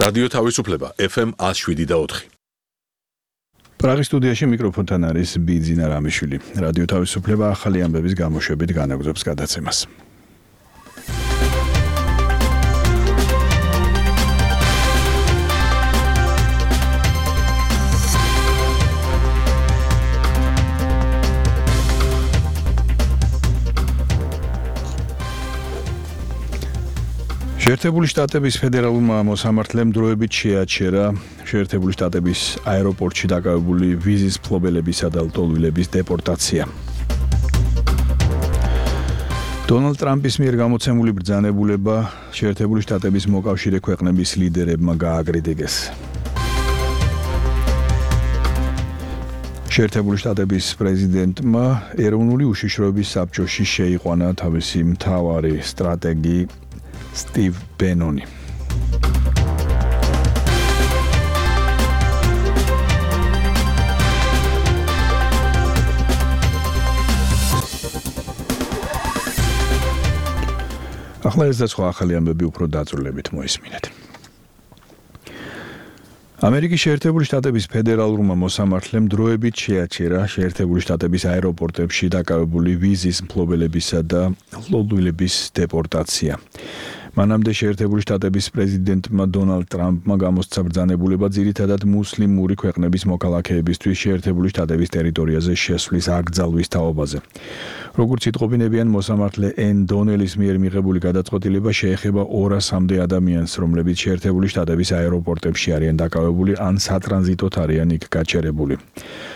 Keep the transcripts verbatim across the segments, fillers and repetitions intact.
რადიო თავისუფლება ეფ ემ one oh seven და four. პრაღის სტუდიაში მიკროფონთან არის ბიძინა რამიშვილი. რადიო თავისუფლება ახალი ამბების გამოშვებით განაგრძობს გადაცემას. შეერთებული შტატების ფედერალურმა მოსამართლემ დროებით შეაჩერა შეერთებული შტატების აეროპორტში დაკავებული ვიზის მფლობელებისა და ლტოლვილების დეპორტაცია. დონალდ ტრამპის მიერ გამოცემული ბრძანებულება შეერთებული შტატების მოკავშირე ქვეყნების ლიდერებმა გააკრიტიკეს. შეერთებული შტატების პრეზიდენტმა ეროვნული უშიშროების საბჭოში შეიყვანა თავისი მთავარი სტრატეგი Steve Benoni. ახლა ეს და სხვა ახალი ამბები უფრო დაწვრილებით მოისმინეთ. ამერიკის შეერთებული შტატების ფედერალურმა მოსამართლემ დროებით შეაჩერა შეერთებული შტატების აეროპორტებში დაკავებული ვიზის მფლობელებისა და ლტოლვილების დეპორტაცია. მანამდე შეერთებული შტატების პრეზიდენტმა დონალდ ტრამპმა გამოსცა ბრძანებულება ძირითადად მუსლიმური ქვეყნების მოქალაქეებისთვის შეერთებული შტატების ტერიტორიაზე შესვლის აკრძალვის თაობაზე. როგორც იტყობინებიან მოსამართლე ენ დონელის მიერ მიღებული გადაწყვეტილება შეეხება ორასამდე ადამიანს, რომლებიც შეერთებული შტატების აეროპორტებში არიან დაკავებული ან სატრანზიტოდ არიან იქ გაჩერებული.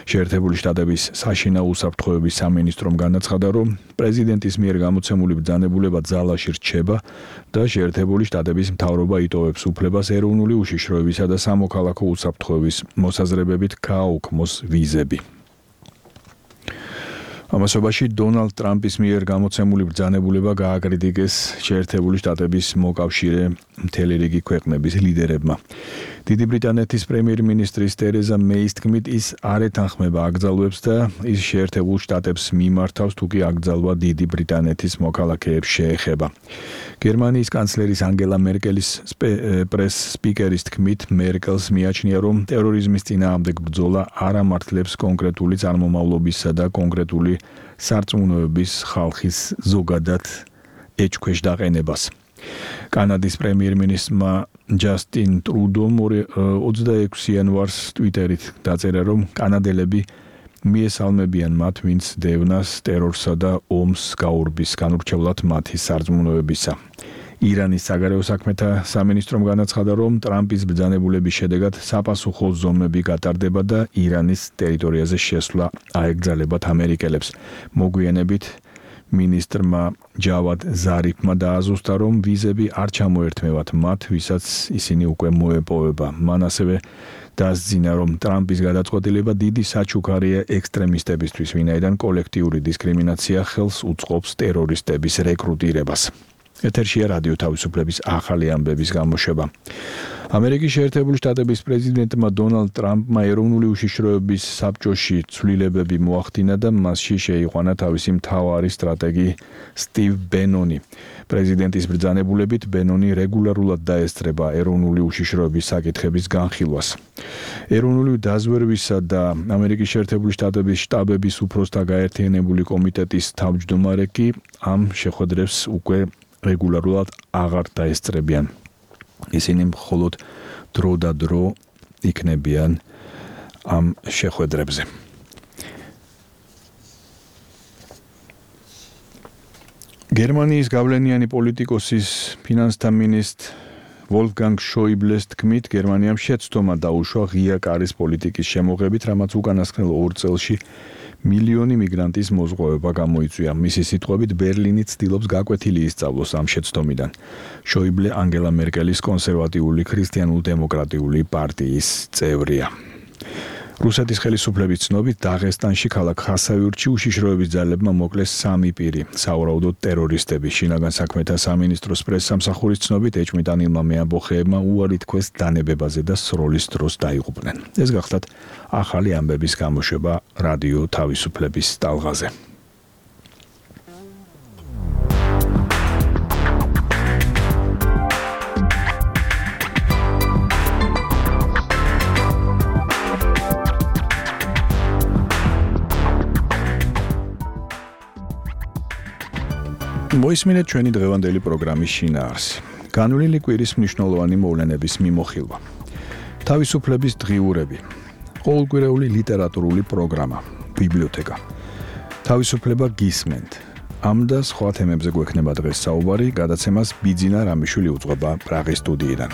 შეერთებული შტატების საშინაო უსაფრთხოების სამინისტრომ განაცხადა, რომ პრეზიდენტის მიერ გამოცემული ბრძანებულება ძალაში რჩება და შეერთებული შტატების მთავრობა იტოვებს უფლებას ეროვნული უშიშროებისა და სამოქალაქო უსაფრთხოების მოსაზრებებით გააუქმოს ვიზები. ამასობაში დონალდ ტრამპის მიერ გამოცემული ბრძანებულება გააკრიტიკეს შეერთებული შტატების მოკავშირე მთელი რიგი ქვეყნების ლიდერებმა. დიდი ბრიტანეთის პრემიერ-მინისტრის ტერეზა მეის თქმით, ის არ ეთანხმება აკრძალვებს და ის შეერთებულ შტატებს მიმართავს, თუ კი აკრძალვა დიდი ბრიტანეთის მოქალაქეებს შეეხება. გერმანიის კანცლერის ანგელა მერკელის პრეს სპიკერის თქმით, მერკელს მიაჩნია, რომ ტერორიზმის წინააღმდეგ ბრძოლა არ ამართლებს კონკრეტული წარმომავლობისა და კონკრეტული სარწმუნოების ხალხის ზოგადად ეჭქვეშ დაყენებას. კანადის პრემიერ-მინისტრმა ჯასტინ ტრუდომ ოცდაექვსი იანვარს ტვიტერით დაწერა, რომ კანადელები მიესალმებიან მათ, ვინც დევნას, ტერორსა და ომს გაურბის განურჩევლად მათი სარწმუნოებისა. ირანის საგარეო საქმეთა სამინისტრომ განაცხადა, რომ ტრამპის ბრძანებულების შედეგად საპასუხო ზომები გატარდება და ირანის ტერიტორიაზე შესვლა აეკრძალებათ ამერიკელებს. მოგვიანებით მინისტრმა ჯავად ზარიფმა დააზუსტა, რომ ვიზები არ ჩამოერთმევათ მათ, ვისაც ისინი უკვე მოეპოვება. მან ასევე დასძინა, რომ ტრამპის გადაწყვეტილება დიდი საჩუქარია ექსტრემისტებისთვის, ვინაიდან კოლექტიური დისკრიმინაცია ხელს უწყობს ტერორისტების რეკრუტირებას. ეთერშია რადიო თავისუფლების ახალი ამბების გამოშვება. ამერიკის შეერთებული შტატების პრეზიდენტმა დონალდ ტრამპმა ეროვნული უშიშროების საბჭოში ცვლილებები მოახდინა და მასში შეიყვანა თავისი მთავარი სტრატეგი სტივ ბენონი. პრეზიდენტის ბრძანებულებით ბენონი რეგულარულად დაესწრება ეროვნული უშიშროების საკითხების განხილვას. ეროვნული დაზვერვისა და ამერიკის შეერთებული შტატების შტაბების უფროსთა გაერთიანებული კომიტეტის თავმჯდომარე კი ამ შეხვედრებს უკვე რეგულარულად აღარ დაესწრებიან. ისინი მხოლოდ დრო და დრო იქნებიან ამ შეხვედრებზე. გერმანიის გავლენიანი პოლიტიკოსის ფინანსთა მინისტრ ვოლფგანგ შოიბლეს თქმით, გერმანიამ შეცდომა დაუშვა ღია კარის პოლიტიკის შემოღებით, რამაც უკანასკნელ ორ წელში მილიონი მიგრანტის მოზღვევება გამოიწვია. მისი სიტყვებით, ბერლინი ცდილობს გაკვეთილი ისწავლოს ამ შეცდომიდან. შოიბლე ანგელა მერკელის კონსერვატიული ქრისტიანულ-დემოკრატიული პარტიის წევრია. რუსეთის ხელისუფლების ცნობით, დაღესტანში ქალაქ ხასავიურში უშიშროების ძალებმა მოკლეს სამი პირი, სავარაუდოდ ტერორისტები. შინაგან საქმეთა სამინისტროს პრესსამსახურის ცნობით, ეჭვმიტანილმა მეამბოხეებმა უარი თქვეს დანებებაზე და სროლის დროს დაიღუპნენ. ეს გახლდათ ახალი ამბების გამოშვება რადიო თავისუფლების ტალღაზე. მოისმინეთ ჩვენი დღევანდელი პროგრამის შინაარსი. განვლილი კვირის მნიშვნელოვანი მოვლენების მიმოხილვა. თავისუფლების დღიურები. ყოველკვირეული ლიტერატურული პროგრამა. ბიბლიოთეკა. თავისუფლება გისმენთ. ამ და სხვა თემებზე გვექნება დღეს საუბარი, გადაცემას ბიძინა რამიშვილი უძღვება პრაღის სტუდიიდან.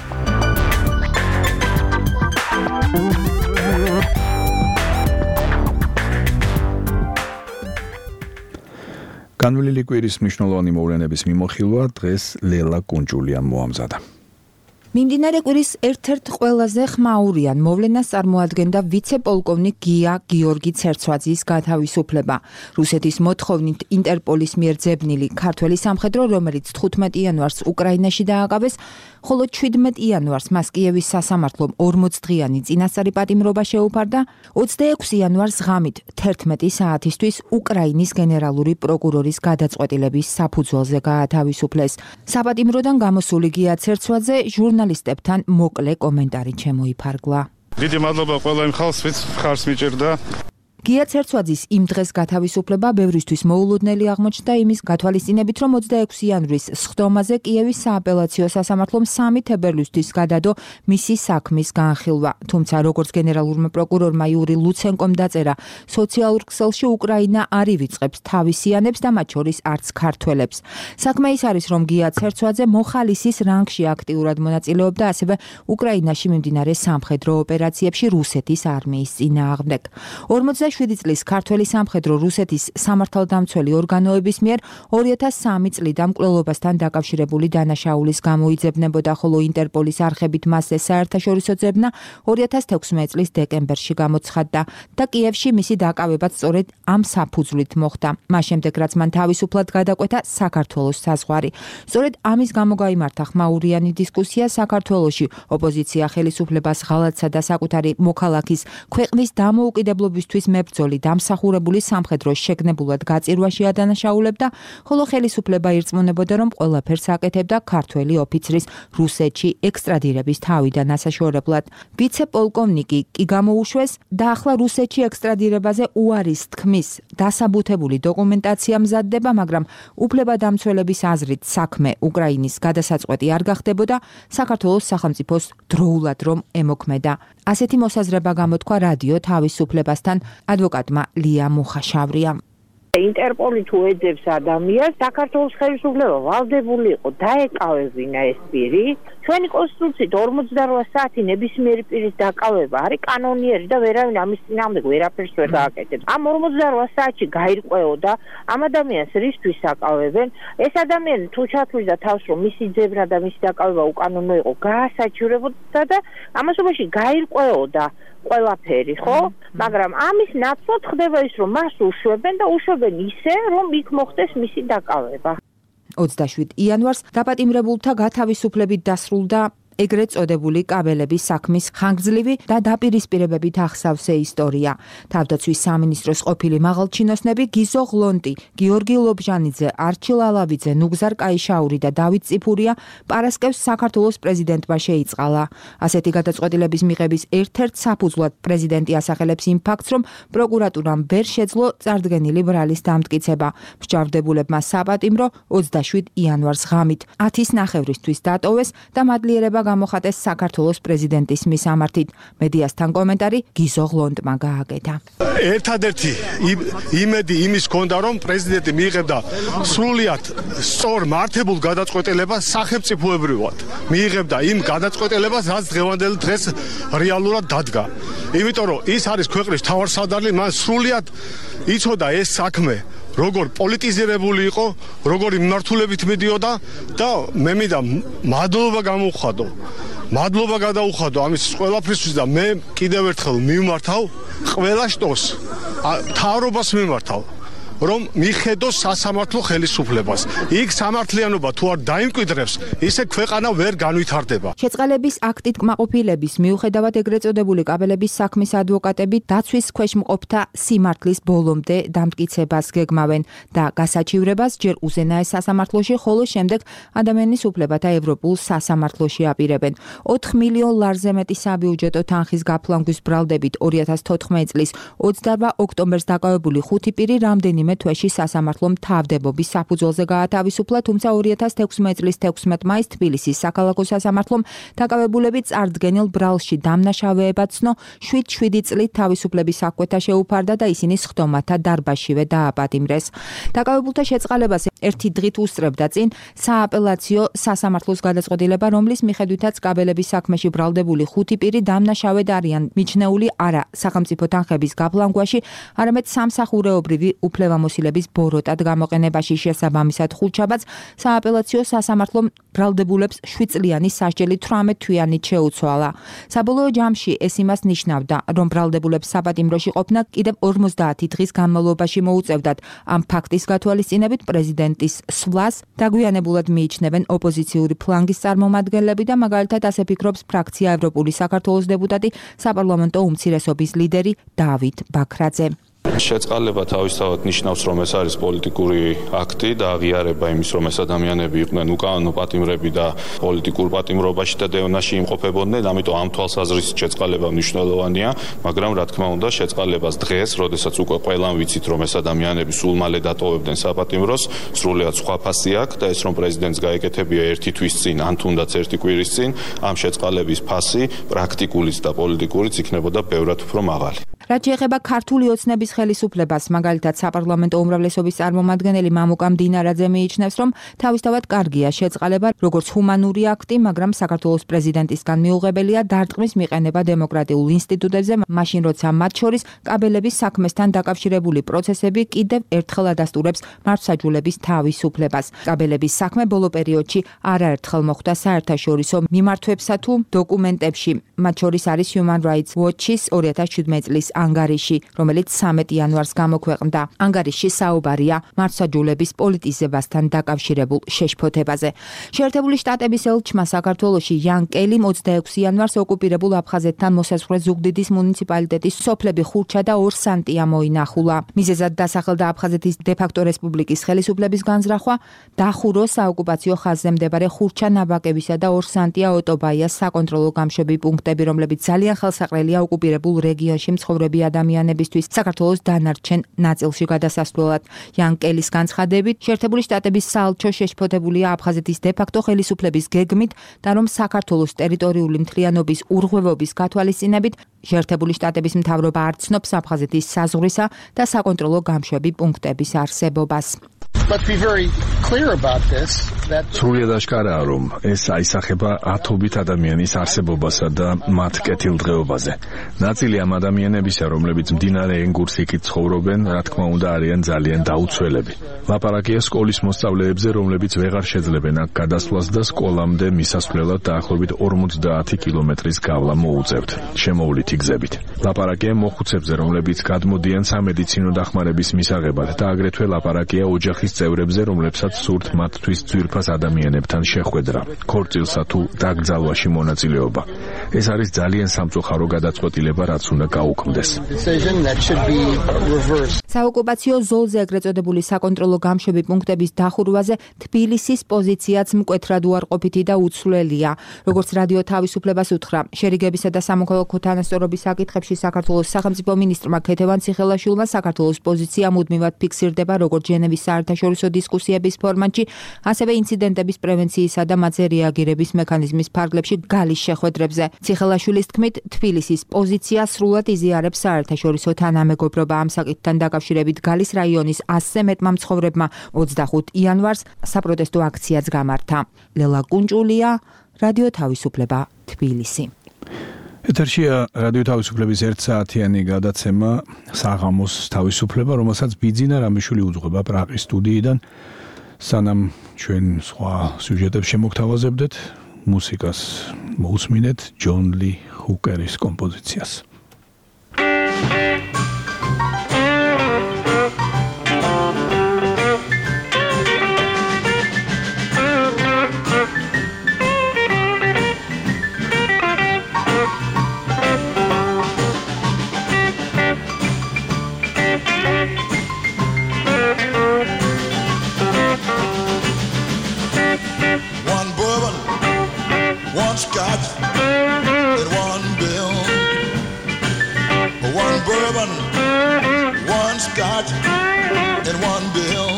განვლილი კვირის მნიშვნელოვანი მოვლენების მიმოხილვა დღეს ლელა კუნჭულიამ მოამზადა. მიმდინარე კვირის ერთ-ერთ ყველაზე ხმაურიან მოვლენას წარმოადგენდა ვიცე-პოლკოვნიკ გია გიორგი ცერცვაძის გათავისუფლება. რუსეთის მოთხოვნით ინტერპოლის მიერ ძებნილი ქართველი სამხედრო, რომელიც თხუთმეტი იანვარს უკრაინაში დააკავეს, ხოლო ჩვიდმეტი იანვარს მას კიევის სასამართლომ ორმოცდღიანი წინასწარი პატიმრობა შეუფარდა, ოცდაექვსი იანვარს ღამით თერთმეტი საათისთვის უკრაინის გენერალური პროკურორის გადაწყვეტილების საფუძველზე გაათავისუფლეს. საპატიმროდან გამოსული გია ცერცვაძე ჟურნალისტებთან მოკლე კომენტარი შემოიფარგლა. დიდი მადლობა ყველა იმ ხალხს, ვინც ხარს მიჭერდა. გია ცერცვაძის იმ დღეს გათავისუფლება ბევრისთვის მოულოდნელი აღმოჩნდა იმის გათვალისწინებით, რომ ოცდაექვსი იანვრის სხდომაზე კიევის სააპელაციო სასამართლომ სამი თებერვლისთვის გადადო მისი საქმის განხილვა. თუმცა როგორც გენერალურმა პროკურორმა იური ლუცენკომ დაწერა, სოციალურ ქსელში უკრაინა არ ივიწყებს თავისიანებს და მათ შორის არც ქართველებს. საქმე ის არის, რომ გია ცერცვაძე მოხალისის რანგში აქტიურად მონაწილეობდა ასევე უკრაინაში მიმდინარე სამხედრო ოპერაციებში რუსეთის არმიის წინააღმდეგ. ორმოცდაშვიდი წლის ქართველი სამხედრო რუსეთის სამართალდამცველი ორგანოების მიერ ორი ათას სამი წლიდან მკვლელობასთან დაკავშირებული დანაშაულის გამოიძებნებოდა, ხოლო ინტერპოლის არხებით მასზე საერთაშორისო ძებნა ორი ათას თექვსმეტი წლის დეკემბერში გამოცხადდა და კიევში მისი დაკავებაც სწორედ ამ საფუძვლით მოხდა. მას შემდეგ, რაც მან თავისუფლად გადაკვეთა საქართველოს საზღვარი. სწორედ ამის გამო გაიმართა ხმაურიანი დისკუსია საქართველოში. ოპოზიცია ხელისუფლებას ღალატსა და საკუთარი მოქალაქის ქვეყნის დამოუკიდებლობისთვის მებრძოლი დამსახურებული სამხედროს შეგნებულად გაწირვაში ადანაშაულებდა, ხოლო ხელისუფლება ირწმუნებოდა, რომ ყველაფერს აკეთებდა ქართველი ოფიცრის რუსეთში ექსტრადირების თავიდან ასაშორებლად. ვიცე-პოლკოვნიკი კი გამოუშვეს და ახლა რუსეთში ექსტრადირებაზე უარის თქმის დასაბუთებული დოკუმენტაცია მზადდება, მაგრამ უფლებადამცველების აზრით საქმე უკრაინის გადასაწყვეტი არ გახდებოდა, საქართველოს სახელმწიფოს დროულად რომ ემოქმედა. ასეთი მოსაზრება გამოთქვა რადიო თავისუფლებასთან ადვოკატმა ლია მუხაშავრიამ. ინტერპოლი თუ ეძებს ადამიანს, საქართველოს ხელისუფლება ვალდებული იყო დაეკავებინა ეს პირი. ჩვენი კონსტიტუციით ორმოცდარვა საათი ნებისმიერი პირის დაკავება არის კანონიერი და ვერავინ ამის წინააღმდეგ ვერაფერს ვერ გააკეთებს. ამ ორმოცდარვა საათში გაირკვეოდა ამ ადამიანს რისთვის აკავებენ. ეს ადამიანი თუ ჩათვლიდა თავს, რომ მისი ძებნა და მისი დაკავება უკანონო იყო, გაასაჩივრებოდა და ამასობაში გაირკვეოდა ყველაფერი, ხო? მაგრამ ამის ნაცვლად ხდება ის, რომ მას უშვებენ და უშვებენ ისე, რომ იქ მოხდეს მისი დაკავება. ოცდაშვიდ იანვარს დაპატიმრებულთა გათავისუფლებით დასრულდა ეგრეთ წოდებული კაბელების საქმის ხანგრძლივი და დაპირისპირებებით ახსავსე ისტორია. თავდაცვის სამინისტროს ყოფილი მაღალჩინოსნები გიზო ღლონტი, გიორგი ლობჟანიძე, არჩილ ალავიძე, ნუგზარ კაიშაური და დავით წიფურია პარასკევს საქართველოს პრეზიდენტმა შეიწყალა. ასეთი გადაწყვეტილების მიღების ერთ-ერთ საფუძვლად პრეზიდენტი ასახელებს იმ ფაქტს, რომ პროკურატურამ ვერ შეძლო წარდგენილი ბრალის დამტკიცება. მსჯავრდებულებმა საპატიმრო ოცდაშვიდ იანვარს ღამით ათის ნახევრისთვის დატოვეს და მადლიერება გამოხატეს საქართველოს პრეზიდენტის მისამართით. მედიასთან კომენტარი გიზო ღლონტმა გააკეთა. ერთადერთი იმედი იმის ჰქონდა, რომ პრეზიდენტი მიიღებდა სრულიად სწორ მართებულ გადაწყვეტილებას სახელმწიფოებრივად. მიიღებდა იმ გადაწყვეტილებას, რაც დღევანდელ დღეს რეალურად დადგა. იმიტომ რომ ის არის ქვეყნის მთავარსარდალი, მან სრულიად იცოდა ეს საქმე როგორ პოლიტიზირებული იყო, როგორი მიმართულებით მიდიოდა და მე მინდა მადლობა გამოვხადო. მადლობა გადაუხადო ამის ყველაფრისთვის და მე კიდევ ერთხელ მიმართავ ყველა შტოს, მთავრობას მიმართავ, რომ მიხედოს სასამართლო ხელისუფლებას. იქ სამართლიანობა თუ არ დაიმკვიდრებს, ისე ქვეყანა ვერ განვითარდება. შეწყალების აქტით კმაყოფილების მიუხედავად ეგრეთ წოდებული კაბელების საქმის ადვოკატები დაცვის ქვეშ მყოფთა სიმართლის ბოლომდე დამტკიცებას გეგმავენ და გასაჩივრებას ჯერ უზენაეს სასამართლოში, ხოლო შემდეგ ადამიანის უფლებათა ევროპულ სასამართლოში აპირებენ. ოთხ მილიონ ლარზე მეტი საბიუჯეტო თანხის გაფლანგვის ბრალდებით ორი ათას თოთხმეტი წლის ოცდაოთხ ოქტომბერს დაკავებული ხუთი პირი რამდენიმე რამდენიმე თვეში სასამართლომ თავდებობის საფუძველზე გაათავისუფლა, თუმცა ორი ათას თექვსმეტი წლის თექვსმეტ მაისს თბილისის საქალაქო სასამართლომ დაკავებულები წარდგენილ ბრალში დამნაშავეებად ცნო, შვიდ შვიდი წლით თავისუფლების საკვეთა შეუფარდა და ისინი სხდომათა დარბაზშივე დააპატიმრეს. დაკავებულთა შეწყალებას ერთი დღით უსწრებდა წინ სააპელაციო სასამართლოს გადაწყვეტილება, რომლის მიხედვითაც კაბელების საქმეში ბრალდებული ხუთი პირი დამნაშავედ არიან მიჩნეული არა სახელმწიფო თანხების გაფლანგვაში, არამედ სამსახურეობრივი უფლებამოსილების ბოროტად გამოყენებაში. შესაბამისად ხუთშაბათს სააპელაციო სასამართლომ ბრალდებულებს შვიდწლიანი სასჯელი თვრამეტ თვიანით შეუცვალა. საბოლოო ჯამში ეს იმას ნიშნავდა, რომ ბრალდებულებს საპატიმროში ყოფნა კიდევ ორმოცდაათი დღის განმავლობაში მოუწევდათ. ამ ფაქტის გათვალისწინებით პრეზიდენტის სვლას დაგვიანებულად მიიჩნევენ ოპოზიციური ფლანგის წარმომადგენლები და მაგალითად ასე ფიქრობს ფრაქცია ევროპული საქართველოს დეპუტატი, საპარლამენტო უმცირესობის ლიდერი დავით ბაქრაძე. შეწყალება თავისთავად ნიშნავს, რომ ეს არის პოლიტიკური აქტი და აღიარება იმის, რომ ეს ადამიანები იყვნენ უკანონო პატიმრები და პოლიტიკურ პატიმრობაში და დევნაში იმყოფებოდნენ, ამიტომ ამ თვალსაზრისით შეწყალება მნიშვნელოვანია, მაგრამ რა თქმა უნდა, შეწყალებას დღეს, როდესაც უკვე ყველამ ვიცით, რომ ეს ადამიანები სულ მალე დატოვებდნენ საპატიმროს, სრულიად სხვა ფასი აქვს და ეს რომ პრეზიდენტს გაეკეთებია ერთი თვის წინ, ან თუნდაც ერთი კვირის წინ, ამ შეწყალების ფასი პრაქტიკულიც და პოლიტიკურიც იქნებოდა ბევრად უფრო მაღალი. რაც შეეხება ქართული ოცნების ხელისუფლებას, მაგალითად საპარლამენტო უმრავლესობის წარმომადგენელი მამუკა მდინარაძე მიიჩნევს, რომ თავისთავად კარგია შეწყალება როგორც ჰუმანური აქტი, მაგრამ საქართველოს პრეზიდენტისგან მიუღებელია დარტყმის მიყენება დემოკრატიულ ინსტიტუტებზე, მაშინ როცა მათ შორის კაბელების საქმესთან დაკავშირებული პროცესები კიდევ ერთხელ ადასტურებს მართლმსაჯულების თავისუფლებას. კაბელების საქმე ბოლო პერიოდში არაერთხელ მოხვდა საერთაშორისო მიმართვებსა თუ დოკუმენტებში, მათ შორის არის Human Rights Watch-ის ორი ათას შვიდმეტი წლის ანგარიში, რომელიც სამეტ იანვარს გამოქვეყნდა. ანგარიში საუბარია მართლმსაჯულების პოლიტიზებასთან დაკავშირებულ შეშფოთებაზე. შეერთებული შტატების ელჩმა საქართველოში იან კელიმ ოცდაექვსი იანვარს ოკუპირებულ აფხაზეთთან მოსაზღვრე ზუგდიდის მუნიციპალიტეტის სოფლები ხურჩა და ორსანტია მოინახულა. მიზეზად დასახელდა აფხაზეთის დე-ფაქტო რესპუბლიკის ხელისუფლების განზრახვა, დახურო საოკუპაციო ხაზზე მდებარე ხურჩა ნაბაკებისა და ორსანტია ოტობაიას საკონტროლო გამშვები პუნქტები, რომლებიც ძალიან ხელსაყრელია ოკუპირებულ რეგიონში მცხოვრები ადამიანებისთვის საქართველოს დანარჩენ ნაწილში გადასასვლელად. იან კელის განცხადებით, შეერთებული შტატების საელჩო შეშფოთებულია აფხაზეთის დე-ფაქტო ხელისუფლების გეგმით და რომ საქართველოს ტერიტორიული მთლიანობის ურღვევობის გათვალისწინებით შეერთებული შტატების მთავრობა არ ცნობს აფხაზეთის საზღვრისა და საკონტროლო გამშვები პუნქტების არსებობას. სრულიად აღკარაა, რომ ეს აისახება ათობით ადამიანის არსებობასა და მათ კეთილდღეობაზე. ნაწილი ამ ადამიანებისა, რომლებიც მდინარე ენგურს იქით ცხოვრობენ, რა თქმა უნდა, არიან ძალიან დაუცველები. ლაპარაკია სკოლის მოსწავლეებზე, რომლებიც ვეღარ შეძლებენ აქ გადასვლას და სკოლამდე მისასვლელად დაახლოებით ორმოცდაათი კილომეტრის გავლა მოუწევთ შემოვლითი გზებით. ლაპარაკია მოხუცებზე, რომლებიც გადმოდიან სამედიცინო დახმარების მისაღებად და აგრეთვე ლაპარაკია ოჯახის წევრებზე, რომლებსაც სურთ მათთვის ძვირფას ადამიანებთან შეხვედრა, ქორწილსა თუ დაკრძალვაში მონაწილეობა. ეს არის ძალიან სამწუხარო გადაწყვეტილება, რაც უნდა გაუქმდეს. საოკუპაციო ზოლზე ეგრეთ წოდებული საკონტროლო გამშვები პუნქტების დახურვაზე თბილისის პოზიციაც მკვეთრად უარყოფითი და უცვლელია. როგორც რადიო თავისუფლებას უთხრა, შერიგებისა და სამოქალაქო თანასწორობის საკითხებში საქართველოს სახელმწიფო მინისტრმა ქეთევან ციხელაშვილმა საქართველოს პოზიცია მუდმივად ფიქსირდება როგორც ჟენევის საერთაშორისო დისკუსიების ფორმატში, ასევე ინციდენტების პრევენციისა და მათზე რეაგირების მექანიზმის ფარგლებში გალის შეხვედრებზე. ციხელაშვილის თქმით, თბილისის პოზიცია სრულად იზიარებს საერთაშორისო თანამეგობრობა. ამ საკითხთან დაკავშირებით გალის რაიონის ასზე მეტმა მცხოვრებმა ოცდახუთი იანვარს საპროტესტო აქციაც გამართა. ლელა კუნჭულია, რადიო თავისუფლება, თბილისი. ეთერშია რადიო თავისუფლების ერთ საათიანი გადაცემა საღამოს თავისუფლება, რომელსაც ბიძინა რამიშვილი უძღვება პრაღის სტუდიიდან. სანამ ჩვენ სხვა სიუჟეტებს შემოგთავაზებდეთ, მუსიკას მოусმინეთ ჯონ ლი ჰუკერის კომპოზიციას. Scotch and one bill, one bourbon, one scotch and one bill.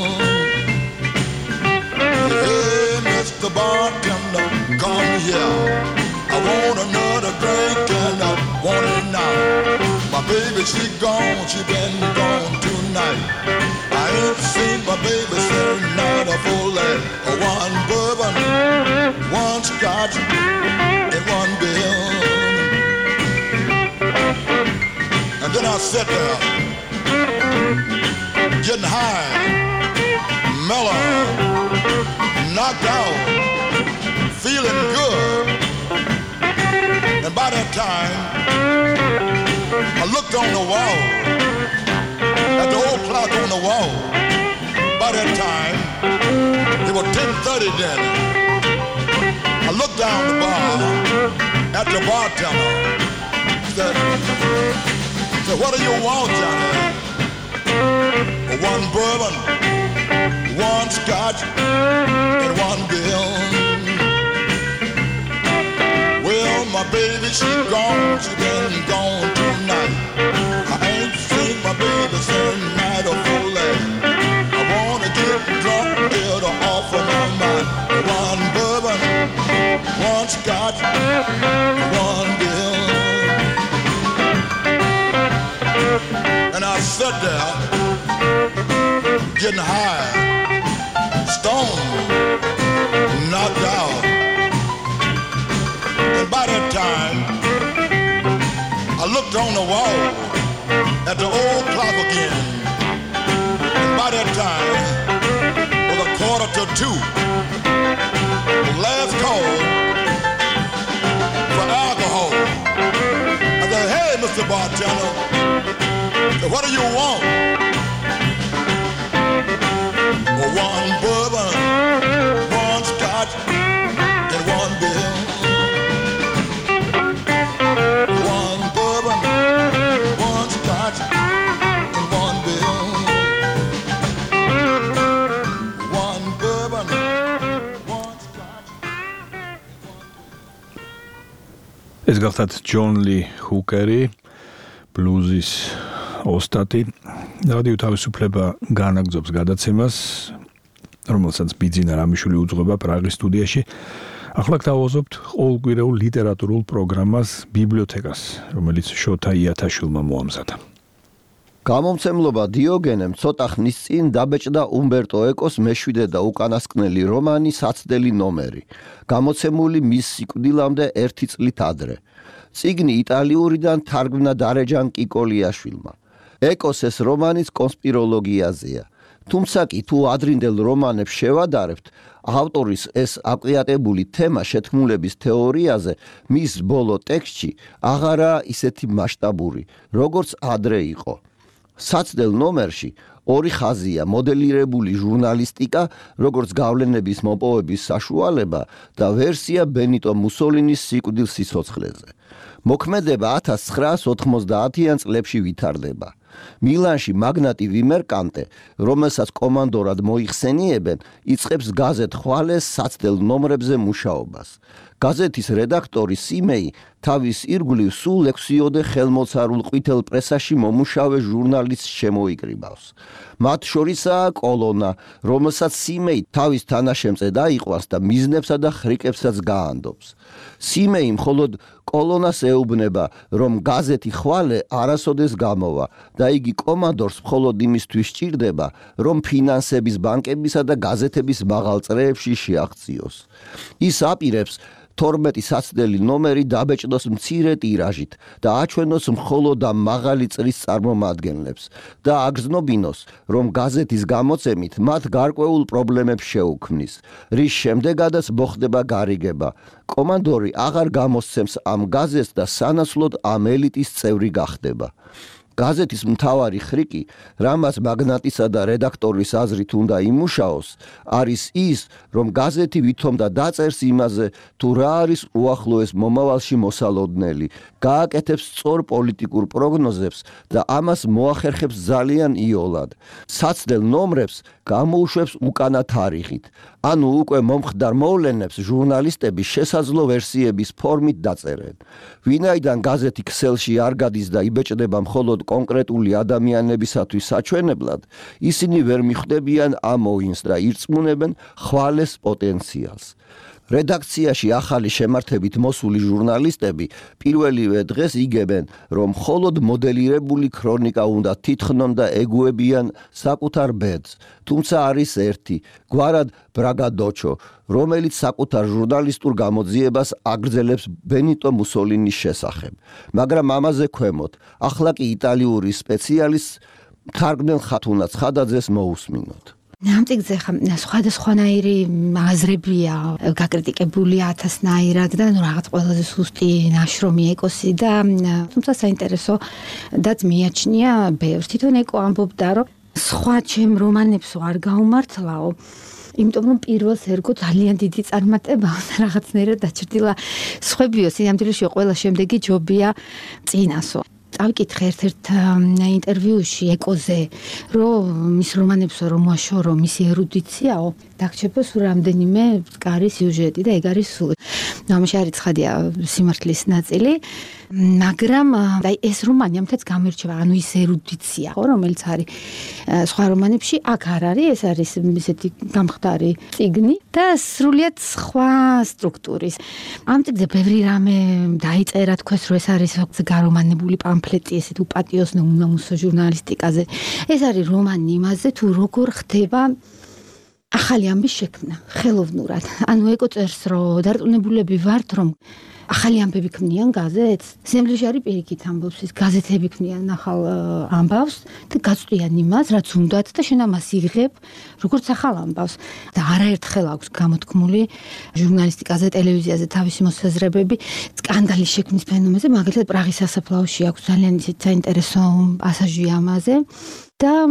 Hey, Mister Bartender, come here. I want another drink and I want it now. My baby, she gone, she been gone tonight. I ain't seen my baby since night of full lead. One bourbon, one scotch, and one bill. And then I sat there, getting high, mellow, knocked out, feeling good. And by that time, I looked on the wall, at the old clock on the wall. By that time, it was ten thirty then. I looked down the bar at the bartender. He said, said, what do you want, Johnny? One bourbon, one scotch, and one bill. Well, my baby, she gone, she been gone tonight. I ain't seen my baby since night of full lead. I wanna get drunk, get her off of my mind. One bourbon, one scotch, one bill. And I sat there, getting high, stoned, knocked out. And by that time, I looked on the wall at the old clock again. And by that time, it was a quarter to two. The last call for alcohol. I said, hey, Mister Bartender, what do you want? One bourbon, one scotch, and one bill. One bourbon, one scotch, and one bill. One bourbon, one scotch. ეს გახლდათ ჯონ ლი ჰუკერი, ბლუზის ოსტატი. რადიო თავისუფლება განაგრძობს გადაცემას, რომელსაც ბიძინა რამიშვილი უძღვება პრაღის სტუდიაში. ახლა გთავაზობთ ყოველკვირეულ ლიტერატურულ პროგრამას ბიბლიოთეკას, რომელიც შოთა იათაშვილმა მოამზადა. გამომცემლობა დიოგენემ ცოტა ხნის წინ დაბეჭდა უმბერტო ეკოს მეშვიდე და უკანასკნელი რომანი საცდელი ნომერი, გამოცემული მის სიკვდილამდე ერთი წლით ადრე. წიგნი იტალიურიდან თარგმნა დარეჯან კიკოლიაშვილმა. ეკოს ეს რომანიც კონსპიროლოგიაზეა. თუმცა კი თუ ადრინდელ რომანებს შევადარებთ, ავტორის ეს აკვიატებული თემა შეთქმულების თეორიაზე მის ბოლო ტექსტში აღარაა ისეთი მასშტაბური, როგორც ადრე იყო. საცდელ ნომერში ორი ხაზია მოდელირებული ჟურნალისტიკა, როგორც გავლენების მოპოვების საშუალება და ვერსია ბენიტო მუსოლინის სიკვდილ სიცოცხლეზე. მოქმედება ათას ცხრაას ოთხმოცდაათიან წლებში ვითარდება. მილანში მაგნატი ვიმერკანტე, რომელსაც კომანდორად მოიხსენიებენ, იწყებს გაზეთ ხვალეს საცდელ ნომრებზე მუშაობას. გაზეთის რედაქტორი სიმეი თავის ირგვლივ სულ ლექსიოდე ხელმოცარულ ყვითელ პრესაში მომუშავე ჟურნალისტს შემოიკრიბავს. მათ შორისაა კოლონა, რომელსაც სიმეი თავის თანაშემწე დაიყვანს და მიზნებსა და ხრიკებსაც გაანდობს. სიმეი მხოლოდ კოლონას ეუბნება, რომ გაზეთი ხვალე არასოდეს გამოვა და იგი კომანდორს მხოლოდ იმისთვის სჭირდება, რომ ფინანსების ბანკებისა და გაზეთების მაღალ წრეებში შეაღწიოს. ის აპირებს თორმეტი საცდელი ნომერი დაბეჭდოს მცირე ტირაჟით და აჩვენოს მხოლოდ და მაღალი წრის წარმომადგენლებს და აგრძნობინოს, რომ გაზეთის გამოცემით მათ გარკვეულ პრობლემებს შეუქმნის, რის შემდეგაც მოხდება გარიგება. კომანდორი აღარ გამოსცემს ამ გაზეთს და სანაცვლოდ ამ ელიტის წევრი გახდება. გაზეთის მთავარი ხრიკი, რამაც მაგნატისა და რედაქტორის აზრით უნდა იმუშაოს, არის ის, რომ გაზეთი ვითომ და დაწერს იმაზე, თუ რა არის უახლოეს მომავალში მოსალოდნელი გააკეთებს სწორ პოლიტიკურ პროგნოზებს და ამას მოახერხებს ძალიან იოლად. საცდელ ნომრებს გამოუშვებს უკანა თარიღით. ანუ უკვე მომხდარ მოვლენებს ჟურნალისტები შესაძლო ვერსიების ფორმით დაწერენ. ვინაიდან გაზეთი ქსელში არ გადის და იბეჭდება მხოლოდ კონკრეტული ადამიანებისათვის საჩვენებლად, ისინი ვერ მიხვდებიან ამოინს და ირწმუნებენ ხვალეს პოტენციალს. რედაქციაში ახალი შემართებით მოსული ჟურნალისტები პირველივე დღეს იგებენ, რომ მხოლოდ მოდელირებული ქრონიკა უნდა თითხნონ და ეგუებიან საკუთარ ბედს. თუმცა არის ერთი, გვარად ბრაგადოჩო, რომელიც საკუთარ ჟურნალისტურ გამოძიებას აგრძელებს ბენიტო მუსოლინის შესახებ. მაგრამ ამაზე ქვემოთ, ახლა კი იტალიური სპეციალისტ თარგმნელ ხათუნა ცხადაძეს მოусმინოთ. ამ წიგნზე სხვადასხვანაირი აზრებია გაკრიტიკებული ათასნაირად და ნუ რაღაც ყველაზე სუსტი ნაშრომი ეკოსი და თუმცა საინტერესო დაც მიაჩნია ბევრს. თვითონ ეკო ამბობდა, რომ სხვა ჩემ რომანებს არ გაუმართლაო, იმიტომ რომ პირველს ერგო ძალიან დიდი წარმატებაა და რაღაცნაირად დაჩრდილა სხვებიო სინამდვილეში ყველა შემდეგი ჯობია წინასო. წავიკითხე ერთ-ერთ ინტერვიუში ეკოზე, რომ მის რომანებსო რომ მოაშორო მისი ერუდიციაო, დაგჭირდა სულ რამდენიმე მწკარი სიუჟეტი და ეგ არის სულ. ამაში არის ცხადია სიმართლის ნაწილი, მაგრამ აი ეს რომანი ამთაც გამირჩევა, ანუ ის ერუდიცია, ხო, რომელიც არის სხვა რომანებში, აქ არ არის, ეს არის ისეთი გამხდარი წიგნი და სრულიად სხვა სტრუქტურის. ამ წიგნზე ბევრი რამე დაიწერა, თქვეს, რომ ეს არის გარომანებული პამფლეტი, ესეთ უპატიოსნო უმამუსო ჟურნალისტიკაზე. ეს არის რომანი იმაზე, თუ როგორ ხდება ახალი ამბის შექმნა, ხელოვნურად. ანუ ეკო წერს, რომ დარწმუნებულები ვართ, რომ ახალი ამბები ქმნიან გაზეთს. სემლეში არის პირიქით ამბობს, ის გაზეთები ქმნიან ახალ ამბავს და გაწვდიან იმას, რაც უნდათ და შენ ამას იღებ, როგორც ახალ ამბავს. და არაერთხელ აქვს გამოთქმული ჟურნალისტიკაზე, ტელევიზიაზე თავისი მოსაზრებები სკანდალის შექმნის ფენომენზე, მაგალითად პრაღის სასაფლაოში აქვს ძალიან ისეთი საინტერესო პასაჟი ამაზე. და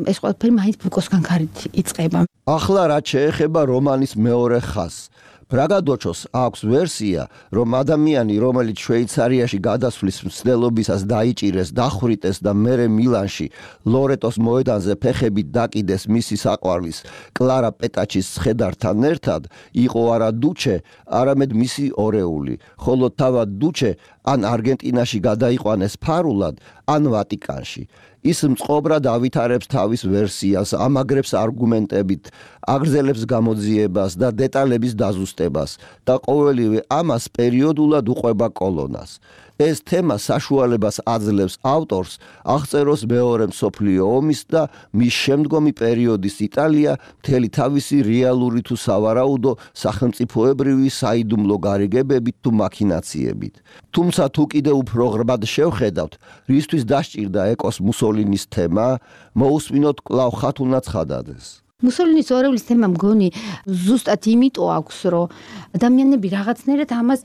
ეს ყველაფერი მაინც ბუკოსგან ქარით იწყება. ახლა რაც შეეხება რომანის მეორე ხაზს, ბრაგადოჩოს აქვს ვერსია, რომ ადამიანი, რომელიც შვეიცარიაში გადასვლის მცდელობისას დაიჭირეს, დახვრიტეს და მერე მილანში ლორეტოს მოედანზე ფეხებით დაკიდეს მისი საყვარლის კლარა პეტაჩის ცხედართან ერთად, იყო არა დუჩე, არამედ მისი ორეული, ხოლო თავად დუჩე ან არგენტინაში გადაიყვანეს ფარულად, ან ვატიკანში. ის მწყობრად ავითარებს თავის ვერსიას, ამაგრებს არგუმენტებით, აგრძელებს გამოძიებას და დეტალების დაზუსტებას და ყოველივე ამას პერიოდულად უყვება კოლონას. ეს თემა საშუალებას აძლევს ავტორს აღწეროს მეორე მსოფლიო ომის და მის შემდგომი პერიოდის იტალია მთელი თავისი რეალური თუ სავარაუდო სახელმწიფოებრივი საიდუმლო გარიგებებით თუ მაქინაციებით. თუმცა თუ კიდევ უფრო ღრმად შევხედავთ, რისთვის დასჭირდა ეკოს მუსოლინის თემა, მოусმინოთ კვლავ ხათუნა ცხადაძეს. მუსოლინის ორეულის თემა მგონი ზუსტად იმიტომ აქვს, რომ ადამიანები რაღაცნაირად ამას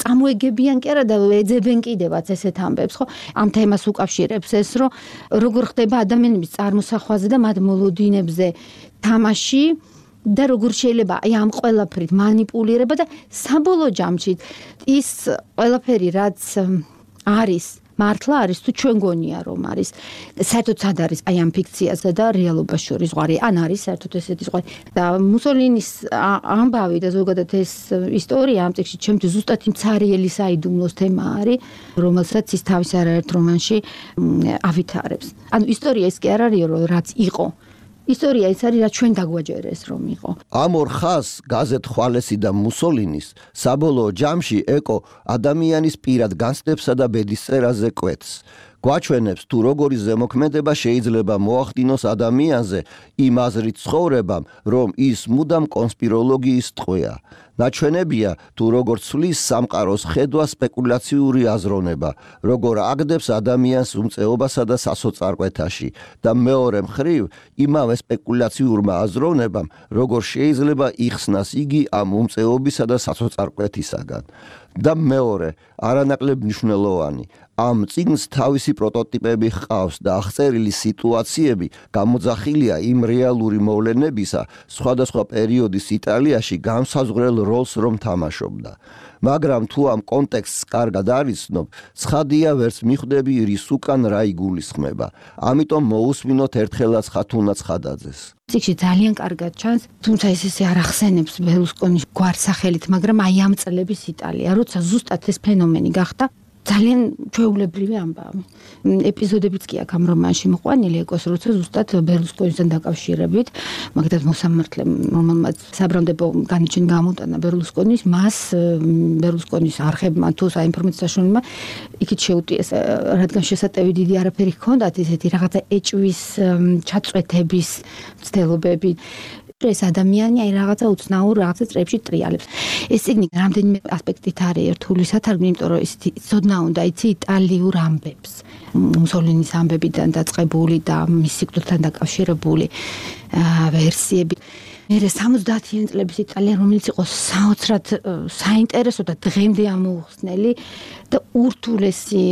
წამოეგებიან კი არა და ეძებენ კიდევაც ესეთ ამბებს, ხო? ამ თემას უკავშირებს ეს, რომ როგორ ხდება ადამიანების წარმოსახვაზე და მათ მოლოდინებზე თამაში და როგორ შეიძლება აი ამ ყველაფრით манипуლირება და საბოლოო ჯამში ის ყველაფერი რაც არის მართლა არის თუ ჩვენ გონია რომ არის საერთოდ სად არის აი ამ ფიქციასა და რეალობას შორის ზღვარი ან არის საერთოდ ესეთი ზღვარი და მუსოლინის ამბავი და ზოგადად ეს ისტორია ამ წიგნში ჩემთვის ზუსტად იმ ცარიელი საიდუმლოს თემა არის რომელსაც ის თავის არაერთ რომანში ავითარებს ანუ ისტორია ის კი არ არის რომ რაც იყო ისტორია ის არის რაც ჩვენ დაგვაჯერეს რომ იყო. ამ ორ ხაზს გაზეთ ხვალესი და მუსოლინის საბოლოო ჯამში ეკო ადამიანის პირად განცდებსა და ბედისწერაზე კვეთს. გვაჩვენებს თუ როგორი ზემოქმედება შეიძლება მოახდინოს ადამიანზე იმ აზრით ცხოვრებამ, რომ ის მუდამ კონსპიროლოგიის ტყვეა. ნაჩვენებია თუ როგორ ცვლის სამყაროს ხედვა სპეკულაციური აზროვნება, როგორ აგდებს ადამიანს უმწეობასა და სასოწარკვეთაში და მეორე მხრივ იმავე სპეკულაციურმა აზროვნებამ, როგორ შეიძლება იხსნას იგი ამ უმწეობისა და სასოწარკვეთისაგან. და მეორე, არანაკლებ მნიშვნელოვანი, ამ წიგნს თავისი პროტოტიპები ჰყავს და აღწერილი სიტუაციები გამოძახილია იმ რეალური მოვლენებისა სხვადასხვა პერიოდის იტალიაში განსაზღვრელ როლს რომ თამაშობდა. მაგრამ თუ ამ კონტექსტს კარგად არიცნობ, ცხადია ვერც მიხვდები რის უკან რა იგულისხმება. ამიტომ მოусმინოთ ერთხელაც ხათუნა ცხადაძეს. ციკში ძალიან კარგად ჩანს, თუმცა ეს ესე არ ახსენებს ბერლუსკონის გვარსახელით, მაგრამ აი ამ წლების იტალია, როცა ზუსტად ეს ფენომენი გახდა, ძალიან ჩვეულებრივი ამბავი. ეპიზოდებიც კი აქ ამ რომანში მოყვანილი ეკოს, როცა ზუსტად ბერლუსკონისთან დაკავშირებით, მაგდაც მოსამართლემ, რომელმაც საბრალდებო განაჩენი გამოტანა ბერლუსკონის, მას ბერლუსკონის არხებმა თუ საინფორმაციო საშუალებმა იქით შეუტიეს, რადგან შესატევი დიდი არაფერი ჰქონდათ, ესეთი რაღაცა ეჭვის, ჩაწვეთების მცდელობები. ეს ადამიანი აი რაღაცა უცნაურ რაღაცა წრეებში ტრიალებს. ეს ციგნი რამდენიმე ასპექტით არის ერთული სათარგმნი, იმიტომ რომ ის ცოდნა უნდა იცი იტალიურ ამბებს. მუსოლინის ამბებიდან დაწყებული და მის სიკვდილთან დაკავშირებული ვერსიები. მერე სამოცდაათიან წლების იტალია, რომელიც იყო საოცრად საინტერესო და დღემდე ამოუხსნელი და ურთულესი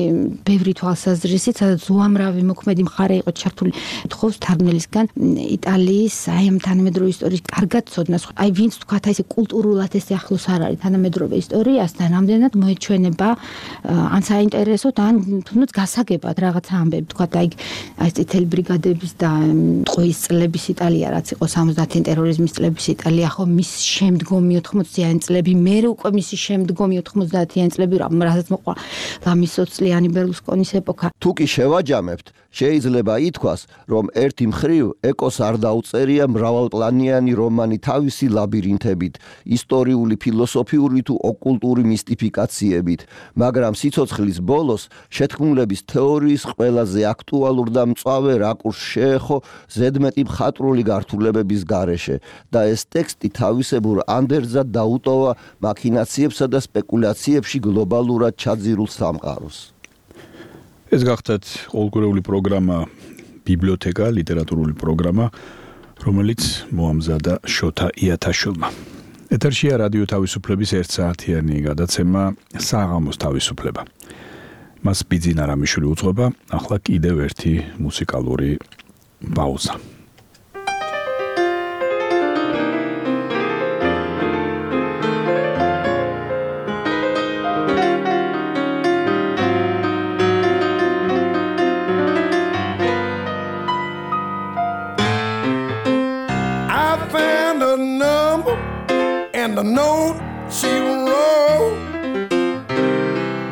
ბევრი თვალსაზრისით, სადაც უამრავი მოქმედი მხარე იყო ჩართული. თხოვს თარგმნელისგან იტალიის აი ამ თანამედროვე ისტორიის კარგად ცოდნას. აი ვინც თქვათ აი ესე კულტურულად ესე ახლოს არ არის თანამედროვე ისტორიასთან, ამდენად მოეჩვენება ან საინტერესოდ, ან თუნდაც გასაგებად რაღაც ამბები, თქვათ აი აი წითელი ბრიგადების და ტყუის წლების იტალია, რაც იყო სამოცდაათიან ტერორიზმის წლების იტალია, ხო მის შემდგომი ოთხმოცდაათიან წლები, მერე უკვე მისი შემდგომი ოთხმოცდაათიან წლები, რასაც მოყვა ლამისოცლიანი ბერლუსკონის ეპოქა. თუ კი შევაჯამებთ, შეიძლება ითქვას, რომ ერთი მხრივ ეკოს არ დაუწერია მრავალპლანიანი რომანი თავისი ლაბირინთებით, ისტორიული, ფილოსოფიური თუ ოკულტური მისტიფიკაციებით, მაგრამ სიცოცხლის ბოლოს შეთქმულების თეორიის ყველაზე აქტუალურ და მწვავე რაკურსს შეეხო ზედმეტი მხატვრული გართულებების გარეშე და ეს ტექსტი თავისებურ ანდერძად დაუტოვა მაქინაციებსა და სპეკულაციებში გლობალურად ჩაძირულ სამყაროს. ეს გახდათ ყოველკვირეული პროგრამა ბიბლიოთეკა, ლიტერატურული პროგრამა, რომელიც მოამზადა შოთა იათაშვილმა. ეთერშია რადიო თავისუფლების ერთ საათიანი გადაცემა საღამოს თავისუფლება. მას ბიძინა რამიშვილი უძღვება, ახლა კიდევ ერთი მუსიკალური პაუზა. The note she wrote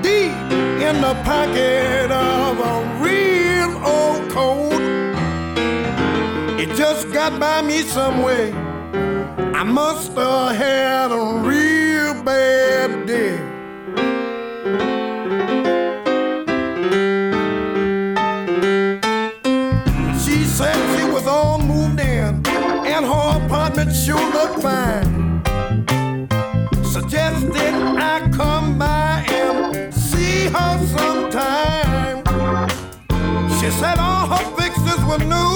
deep in the pocket of a real old coat. It just got by me some way. I must have had a real bad day. She said she was all moved in and her apartment sure looked fine. Suggested I come by and see her sometime. She said all her fixtures were new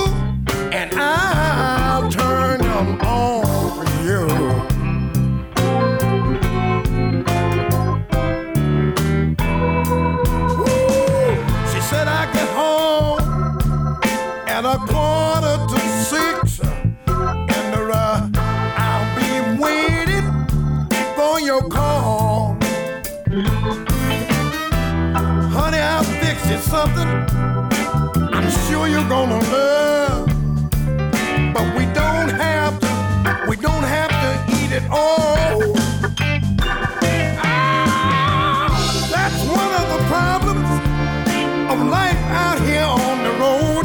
and I'll turn them on for you. Woo! She said I get home at a quarter to six and uh, I'll be waiting for your call. Honey, I'll fix you something I'm sure you're gonna love. But we don't have to, we don't have to eat it all. Ah, that's one of the problems of life out here on the road.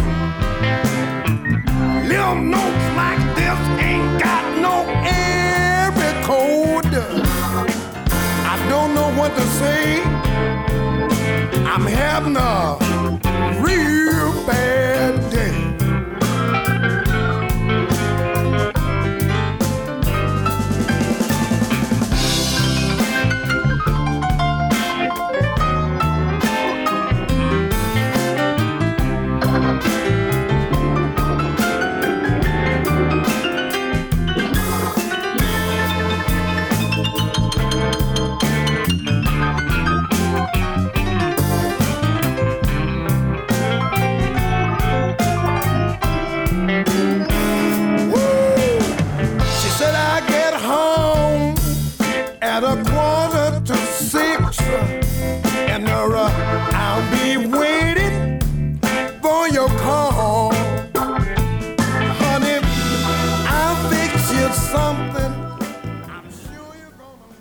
Little notes like this ain't got no area code. I don't know what to say. I'm having a real bad day.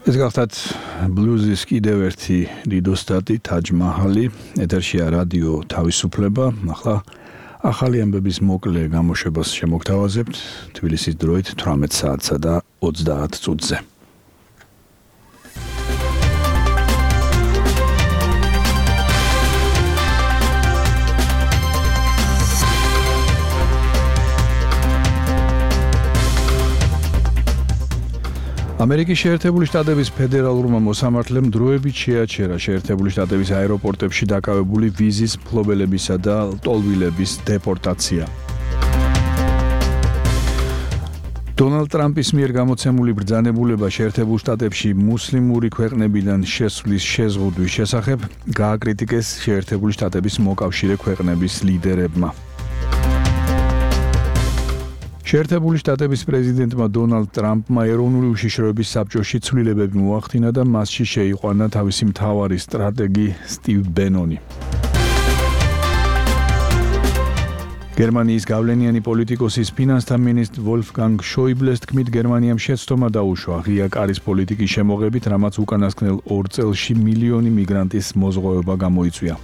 ეს გახლავთ ბლუზის კიდევ ერთი დიდოსტატი თაჯ მაჰალი, ეთერშია რადიო თავისუფლება. ახლა ახალი ამბების მოკლე გამოშვებას შემოგთავაზებთ თბილისის დროით თვრამეტ საათსა და ოცდაათ წუთზე. ამერიკის შეერთებული შტატების ფედერალურმა მოსამართლემ დროებით შეაჩერა შეერთებული შტატების აეროპორტებში დაკავებული ვიზის მფლობელებისა და ლტოლვილების დეპორტაცია. დონალდ ტრამპის მიერ გამოცემული ბრძანებულება შეერთებულ შტატებში მუსლიმური ქვეყნებიდან შესვლის შეზღუდვის შესახებ გააკრიტიკეს შეერთებული შტატების მოკავშირე ქვეყნების ლიდერებმა. შეერთებული შტატების პრეზიდენტმა დონალდ ტრამპმა ეროვნული უშიშროების საბჭოში ცვლილებები მოახდინა და მასში შეიყვანა თავისი მთავარი სტრატეგი სტივ ბენონი. გერმანიის გავლენიანი პოლიტიკოსის ფინანსთა მინისტრ ვოლფგანგ შოიბლეს თქმით, გერმანიამ შეცდომა დაუშვა ღია კარის პოლიტიკის შემოღებით, რამაც უკანასკნელ ორ წელში მილიონი მიგრანტის მოზღვევება გამოიწვია.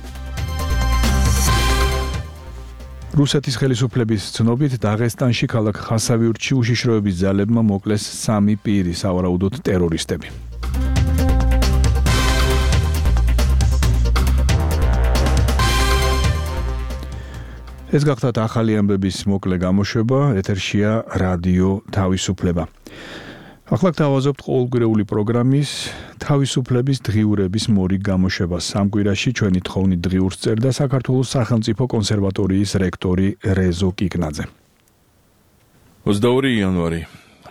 რუსეთის ხელისუფლების ცნობით დაღესტანში ქალაქ ხასავიურტში უშიშროების ძალებმა მოკლეს სამი პირი, სავარაუდოდ ტერორისტები. ეს გახლავთ ახალი ამბების მოკლე გამოშვება, ეთერშია რადიო თავისუფლება. ახლა გთავაზობთ ყოველკვირეული პროგრამის თავისუფლების დღიურების მორიგ გამოშვებას. ამ კვირაში ჩვენი თხოვნით დღიურს წერდა საქართველოს სახელმწიფო კონსერვატორიის რექტორი რეზო კიკნაძე. ოცდაორი იანვარი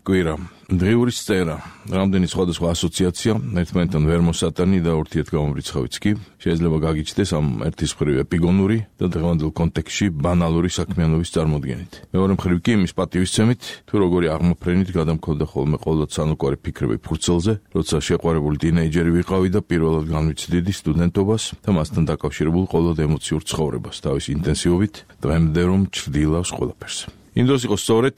კვირა. დღიურის წერა. რამდენი სხვადასხვა ასოციაცია ერთმანეთთან ვერ მოსატანი და ურთიერთგამომრიცხავიც კი შეიძლება გაგიჩნდეს ამ ერთის მხრივ ეპიგონური და დღევანდელ კონტექსტში ბანალური საქმიანობის წარმოდგენით. მეორე მხრივ კი იმის პატივისცემით, თუ როგორი აღმოფრენით გადამქონდა ხოლმე ყოველდღე სანუკვარი ფიქრები ფურცელზე, როცა შეყვარებული ტინეიჯერი ვიყავი და პირველად განვიცდიდი სტუდენტობას და მასთან დაკავშირებულ ყოველდღე ემოციურ ცხოვრებას, თავის ინტენსივობით, დღემდე რომ ჩრდილავს ყველაფერს. იმ დროს იყო სწორედ,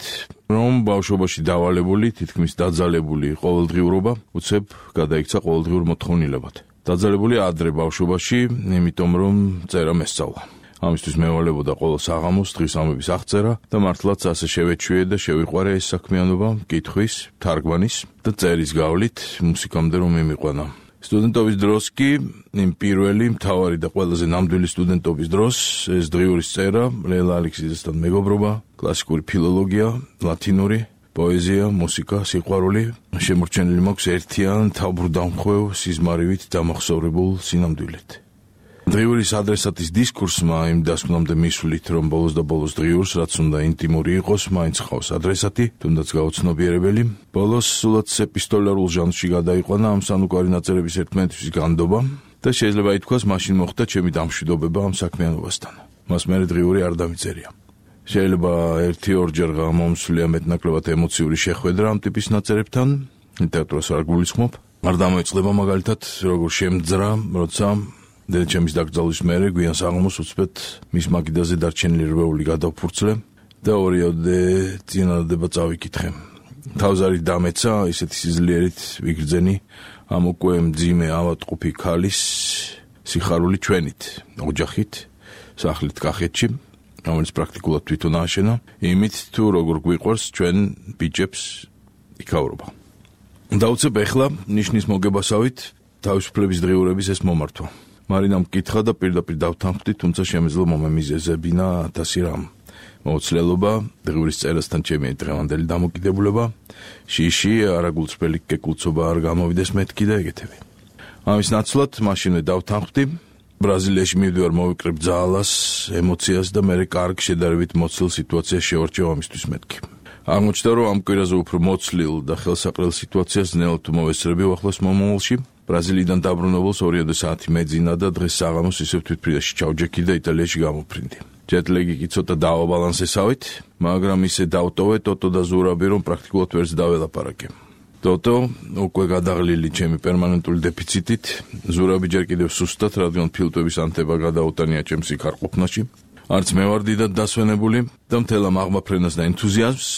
რომ ბავშვობაში დავალებული, თითქმის დაძალებული ყოველდღიურობა უცებ გადაიქცა ყოველდღიურ მოთხოვნილებად. დაძალებული ადრე ბავშვობაში, იმიტომ რომ წერა მესწავლა. ამისთვის მევალებოდა ყოველ საღამოს დღის ამბების აღწერა და მართლაც ასე შევეჩვიე და შევიყვარე ეს საქმიანობა, კითხვის, თარგმანის და წერის გავლით მუსიკამდე რომ მიმიყვანა. სტუდენტობის დროს კი, იმ პირველი, მთავარი და ყველაზე ნამდვილი სტუდენტობის დროს, ეს დღიურის წერა, ლელა ალექსიძესთან მეგობრობა, კლასიკური ფილოლოგია, ლათინური, პოეზია, მუსიკა, სიყვარული, შემორჩენილი მაქვს ერთიან, თავბრუდამხვევ, სიზმარივით დამახსოვრებულ სინამდვილედ. დღიურის ადრესატის დისკურსმა იმ დასკვნამდე მისვლით, რომ ბოლოს და ბოლოს დღიურს, რაც უნდა ინტიმური იყოს, მაინც ხავს ადრესატი, თუნდაც გაუცნობიერებელი. ბოლოს სულაც ეპისტოლარულ ჟანრში გადაიყვანა ამ სანუკვარი ნაწერების ერთმანეთთვის განდობა და შეიძლება ითქვას, მაშინ მოხდა ჩემი დამშვიდობება ამ საქმიანობასთან. მას მერე დღიური არ დამიწერია. შეიძლება ერთი ორჯერ გამომსვლია მეტნაკლებად ემოციური შეხვედრა ამ ტიპის ნაწერებთან, ლიტერატურას არ გულისხმობ. არ დამოეწლება მაგალითად, როგორ შემძრა, როცა დედაჩემის დაკრძალვის მერე გვიან საღამოს უცბად მის მაგიდაზე დარჩენილი რვეული გადავფურცლე და ორიოდე წინადადება წავიკითხე. თავზარით დამეცა, ისეთი სიძლიერით ვიგრძენი ამ უკვე მძიმე ავადმყოფი ქალის სიხარული ჩვენით, ოჯახით, სახლით კახეთში, რომელიც პრაქტიკულად თვითონ ააშენა, იმით თუ როგორ გვიყვარს ჩვენ ბიჭებს იქავრობა. დაუცებ ახლა ნიშნის მოგებასავით თავისუფლების დღიურების ეს მომართვა. მარინამ მკითხა და პირდაპირ დავთანხმდი, თუმცა შემეძლო მომემიზეზებინა ათასი რამ. მოუცლელობა, დღიურის წერასთან ჩემი დღევანდელი დამოკიდებულება, შიში, არაგულწრფელი კეკულწობა არ გამოვიდეს მეთქი და ეგეთები. ამის ნაცვლად მაშინვე დავთანხმდი, ბრაზილიაში მივდივარ მოვიკრებ ძალას, ემოციას და მერე კარგ შედარებით მოცილ სიტუაციას შევარჩევ ამისთვის მეთქი. აღმოჩნდა, რომ ამ კვირაზე უფრო მოცლილ და ხელსაყრელ სიტუაციას ძნელად მოვესწრები ახლოს მომავალში. ბრაზილიიდან დაბრუნებულს ორიოდე საათი მეძინა და დღეს საღამოს ისევ თვითფრიდაში ჩავჯექი და იტალიაში გამოფრინდი. ჯეტლეგი კი ცოტა დაავაბალანსესავით, მაგრამ ისე დავტოვე ტოტო და ზურაბი, რომ პრაქტიკულად ვერც დაველაპარაკე. ტოტო უკვე გადაღლილი ჩემი პერმანენტული დეფიციტით, ზურაბი ჯერ კიდევ სუსტად, რადგან ფილტვების ანთება გადაუტანია ჩემს იქარყოფნაში. არც მე ვარ დიდად დასვენებული და მთელ ამ აღმაფრენას და ენთუზიაზმს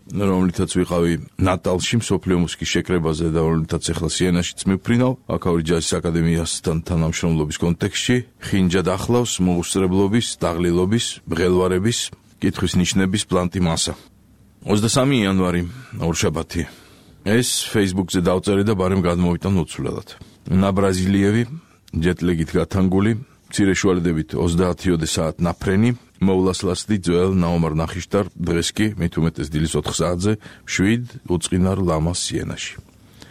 რომლითაც ვიყავი ნატალში მსოფლიო მუსიკის შეკრებაზე და რომლითაც ახლა სიენაშიც მივფრინავ, აქაური ჯაზის აკადემიასთან თანამშრომლობის კონტექსტში, ხინჯად ახლავს მოუსწრებლობის, დაღლილობის, მღელვარების, კითხვის ნიშნების პლანტი მასა. ოცდამესამი იანვარი, ორშაბათი. ეს Facebook-ზე დავწერე და ბარემ გადმოვიტან უცვლელად. ნა ბრაზილიევი, ჯეტლეგით გათანგული, მცირე შუალედებით ოცდაათიოდე საათ ნაფრენი, მოვლასლასდი ძველ ნაომარ ნახიშტარ დღეს კი მით უმეტეს დილის ოთხ საათზე შვიდ უწყინარ ლამას სიენაში.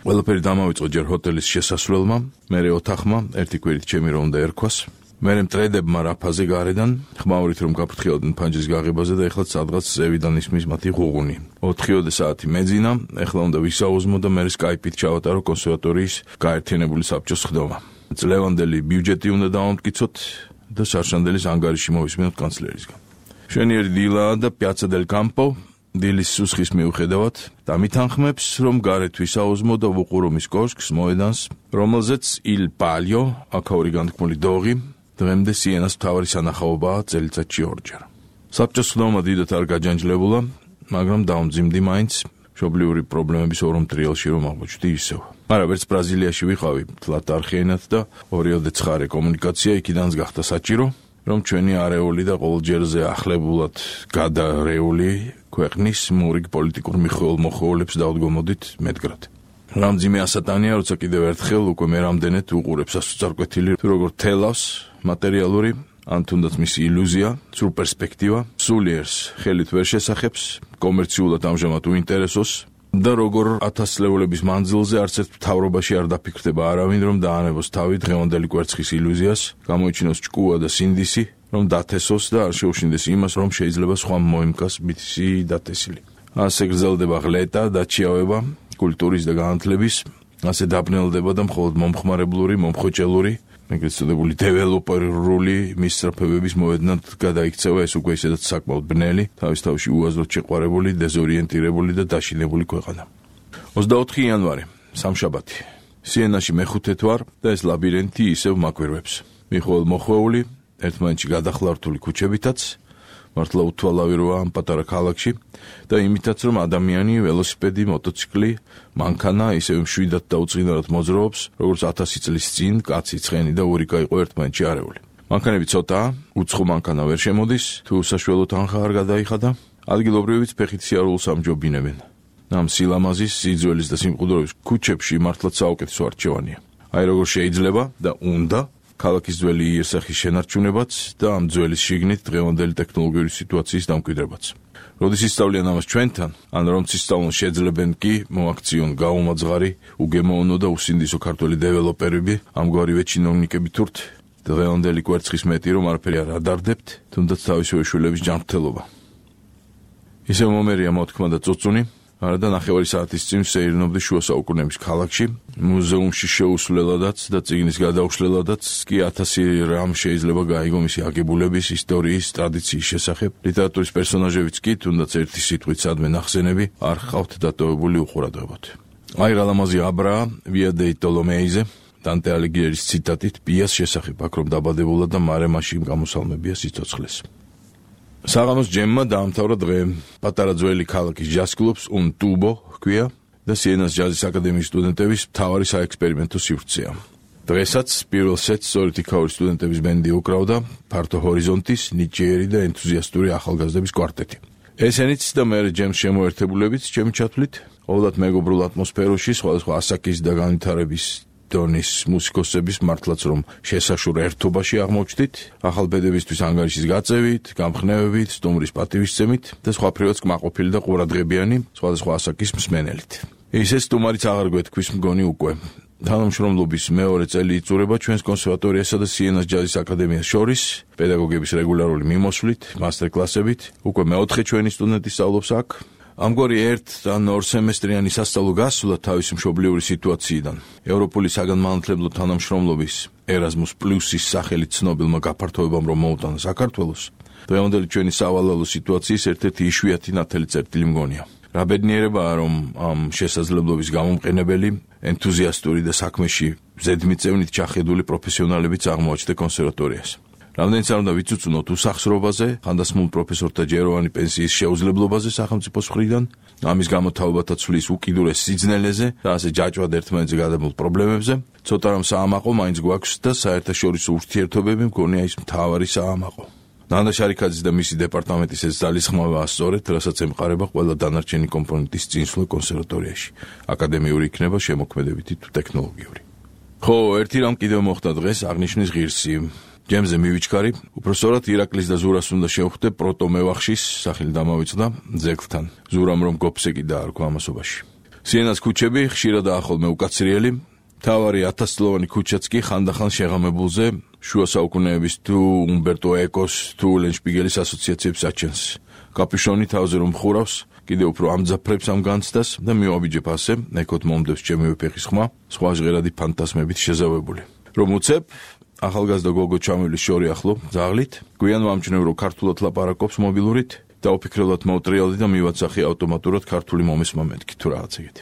ყველაფერი დამავიწყო ჯერ ჰოტელის შესასვლელმა, მერე ოთახმა, ერთი კვირით ჩემი რომ უნდა ერქვას. მერე მტრედებმა რაფაზე გარედან, ხმაურით რომ გაფრთხილდნენ ფანჯრის გაღებაზე და ეხლა სადღაც ზევიდან ისმის მათი ღუღუნი. ოთხიოდე საათი მეძინა, ეხლა უნდა ვისაუზმო და მერე სკაიპით ჩავატარო კონსერვატორიის გაერთიანებული საბჭოს ხდომა. წლევანდელი ბიუჯეტი უნდა დავამტკიცოთ და სარშანდელის ანგარიში მოვისმინოთ კანცლერისგან. მშვენიერი დილაა და პიაცა დელ კამპო, დილის სუსხის მიუხედავად, დამითანხმებს, რომ გარეთ ვისაუზმო და ვუყურო მის კოშკს, მოედანს, რომელზეც ილ პალიო, აქაური განთქმული დოღი, დღემდე სიენას მთავარი სანახაობაა წელიწადში ორჯერ. საბჭოს ხდომა დიდად არ გაჯანჯლებულა, მაგრამ დაუმძიმდი მაინც მშობლიური პრობლემების ორომტრიალში რომ აღმოჩნდი ისევ. მაგრამ ვერც ბრაზილიაში ვიყავი, თლათ არხიანად და ორიოდე ცხარე კომუნიკაცია იქიდანაც გახდა საჭირო, რომ ჩვენი არეული და ყოველჯერზე ახლებულად გადარეული ქვეყნის მურიგ პოლიტიკურ მიხეულ-მოხეულებს დავდგომოდით მეტგრად. რამძიმე ასატანია, როცა კიდევ ერთხელ უკვე მე რამდენად უყურებს ასოწარკვეთილი, თუ როგორ თელავს მატერიალური, ან თუნდაც მისი ილუზია, სრულ პერსპექტივა, სულიერს ხელით ვერ შესახებს, კომერციულად ამჟამად უინტერესოს და როგორ ათასწლეულების მანძილზე არც ერთ მთავრობაში არ დაფიქრდება არავინ, რომ დაანებოს თავი დღევანდელი კვერცხის ილუზიას, გამოიჩინოს ჭკუა და სინდისი, რომ დათესოს და არ შეუშინდეს იმას, რომ შეიძლება სხვა მოიმკას მისი დათესილი. ასე გრძელდება ღლეტა, დაჩიავება, კულტურის და განათლების, ასე დაბნელდება და მხოლოდ მომხმარებლური, მომხოჭელური, ეგრეთ წოდებული დეველოპერული მისწრაფებების მოედნად გადაიქცევა ეს უკვე ისედაც საკმაოდ ბნელი, თავის თავში უაზროდ შეყვარებული, დეზორიენტირებული და დაშინებული ქვეყანა. ოცდაოთხი იანვარი, სამშაბათი. სიენაში მეხუთე თვარ და ეს ლაბირინთი ისევ მაკვირვებს. მიხოელ მოხვეული, ერთმანეთში გადახლართული ქუჩებითაც, მართლა უთვალავი როა ამ პატარა ქალაქში და იმითაც რომ ადამიანი, ველოსიპედი, მოტოციკლი, მანქანა ისევ მშვიდად და უწყინარად მოძრაობს, როგორც ათასი წლის წინ კაცი, ცხენი და ურიკა იყო ერთმანეთში არეული. მანქანები ცოტაა, უცხო მანქანა ვერ შემოდის, თუ საშუალო თანხა არ გადაიხადა, ადგილობრივიც ფეხით სიარულს ამჯობინებენ. ამ სილამაზის, სიძველის და სიმყუდროების ქუჩებში მართლაც საუკეთესო არჩევანია. აი როგორ შეიძლება და უნდა ქალაქის ძველი იერსახის შენარჩუნებაც და ამ ძველის შიგნით დღევანდელი ტექნოლოგიური სიტუაციის დამკვიდრებაც. როდის ისწავლიან ამას ჩვენთან, ან რომ ისწავლონ შეძლებენ კი მოაქციონ გაუმაძღარი, უგემოვნო და უსინდისო ქართველი დეველოპერები, ამგვარივე ჩინოვნიკები თურთ, დღევანდელი კვერცხის მეტი რომ არაფერი არ ადარდებთ, თუნდაც თავისივე შვილების ჯანმრთელობა. ისევ მომერია მოთქმა და წუწუნი, არა და ნახევარი საათის წინ ვსეირნობდი შუა საუკუნეების ქალაქში, მუზეუმში შეუსვლელადაც და წიგნის გადაუშლელადაც კი ათასი რამ შეიძლება გაიგო მისი აგებულების, ისტორიის, ტრადიციის შესახებ. ლიტერატურის პერსონაჟებიც კი, თუნდაც ერთი სიტყვით სადმე ნახსენები, არ ხავთ დატოვებული უყურადღებოთ. აი რა ლამაზი აბრაა, ვია დეი ტოლომეიზე, დანტე ალიგიერის ციტატით, პიას შესახებ, აქ რომ დაბადებულა და მარე მაშინ გამოსალმებია სიცოცხლეს. საღამოს ჯემმა დაამთავრა დღე. პატარა ძველი ქალაქის ჯაზ კლუბს un tubo ჰქვია და სიენას ჯაზის აკადემიის სტუდენტების მთავარი საექსპერიმენტო სივრცეა. დღესაც პირველ სეტს სწორედ იქაური სტუდენტების ბენდი უკრავდა, ფართო ჰორიზონტის, ნიჭიერი და ენთუზიასტური ახალგაზრდების კვარტეტი. ესენიც და მერე ჯემს შემოერთებულებიც ჩემი ჩათვლით, ყოველად მეგობრულ ატმოსფეროში სხვადასხვა ასაკის და განვითარების დონის მუსიკოსების მართლაც რომ შესაშურ ერთობაში აღმოჩნდით, ახალბედებისთვის ანგარიშის გაწევით, გამხნევებით, სტუმრის პატივისცემით და სხვა ფრევაც კმაყოფილი და ყურადღებიანი სხვადასხვა ასაკის მსმენელით. ისე სტუმარიც აღარ გვეთქვის მგონი უკვე. თანამშრომლობის მეორე წელი იწურება ჩვენს კონსერვატორიასა და სიენას ჯაზის აკადემიას შორის, პედაგოგების რეგულარული მიმოსვლით, მასტერკლასებით, უკვე მეოთხე ჩვენი სტუდენტი სწავლობს აქ. ამგვარი ერთ ან ორ სემესტრიანი სასწავლო გასვლა თავისი მშობლიური სიტუაციიდან, ევროპული საგანმანათლებლო თანამშრომლობის ერაზმუს პლუსის სახელით ცნობილმა გაფართოებამ რომ მოუტანა საქართველოს, დღევანდელი ჩვენი სავალალო სიტუაციის ერთ-ერთი იშვიათი ნათელი წერტილი მგონია. რა ბედნიერებაა, რომ ამ შესაძლებლობის გამომყენებელი, ენთუზიასტური და საქმეში ზედმიწევნით ჩახედული პროფესიონალებიც აღმოაჩნდა კონსერვატორიას. რამდენიც არ უნდა ვიცუცუნოთ უსახსრობაზე, ხანდასმულ პროფესორთა ჯეროვანი პენსიის შეუძლებლობაზე სახელმწიფოს მხრიდან, ამის გამო თაობათა ცვლის უკიდურეს სიძნელეზე და ასე ჯაჭვად ერთმანეთზე გადაბმულ პრობლემებზე, ცოტა რომ საამაყო მაინც გვაქვს და საერთაშორისო ურთიერთობები მგონია ის მთავარი საამაყო. ნანდა შარიქაძის და მისი დეპარტამენტის ეს ძალისხმევაა სწორედ, რასაც ემყარება ყველა დანარჩენი კომპონენტის წინსვლა კონსერვატორიაში. აკადემიური იქნება შემოქმედებითი თუ ტექნოლოგიური. ხო, ერთი რამ კიდევ მოხდა დღეს, აღნიშნის ღირსი. ჯემზე მივიჩქარი, უпроსორად ირაკლის და ზურას უნდა შევხვდე პროტომევახშის სახელი დამავიწყდა ძეგლთან. ზურამ რომ გოფსეკი დაარქვა ამასობაში. სიენას ქუჩები ხშირადაა ხოლმე უკაცრიელი, თავარი ათასწლოვანი ქუჩაც კი ხანდახან შეღამებულზე შუა საუკუნეების თუ უმბერტო ეკოს თუ ლენშპიგელის ასოციაციებს აჩენს. კაპიშონი თავზე რომ ხურავს, კიდევ უფრო ამძაფრებს ამ განცდას და მივაბიჯებ ასე, ეკოთ მომდევს ჩემივე ფეხის ხმა, სხვა ჟღერადი ფანტასმებით შეზავებული. რომ უცებ, ახალგაზრდა გოგო ჩამივლის შორი ახლო, ძაღლით, გვიან ვამჩნევ რომ ქართულად ლაპარაკობს მობილურით, დაუფიქრებლად მოვტრიალდი და მივაცახი ავტომატურად ქართული მომესმა მეთქი თუ რაღაც ეგეთი.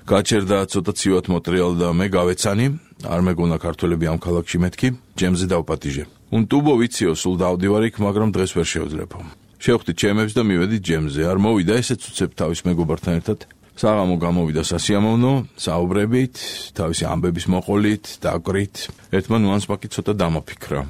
გაჩერდა ცოტა ცივად მოტრიალდა და მე გავეცანი, არ მეგონა ქართველები ამ ქალაქში მეთქი, ჯემზე დავპატიჟე. უნტუბო ვიციო, სულ დავდივარ იქ, მაგრამ დღეს ვერ შევძლებო. შევხვდი ჩემებს და მივედი ჯემზე, არ მოვიდა ესეც უცებ თავის მეგობართან ერთად. საღამო გამოვიდა სასიამოვნო, საუბრებით, თავისი ამბების მოყოლით, დაკვრით, ერთმა ნუანსმა კი ცოტა დამაფიქრა.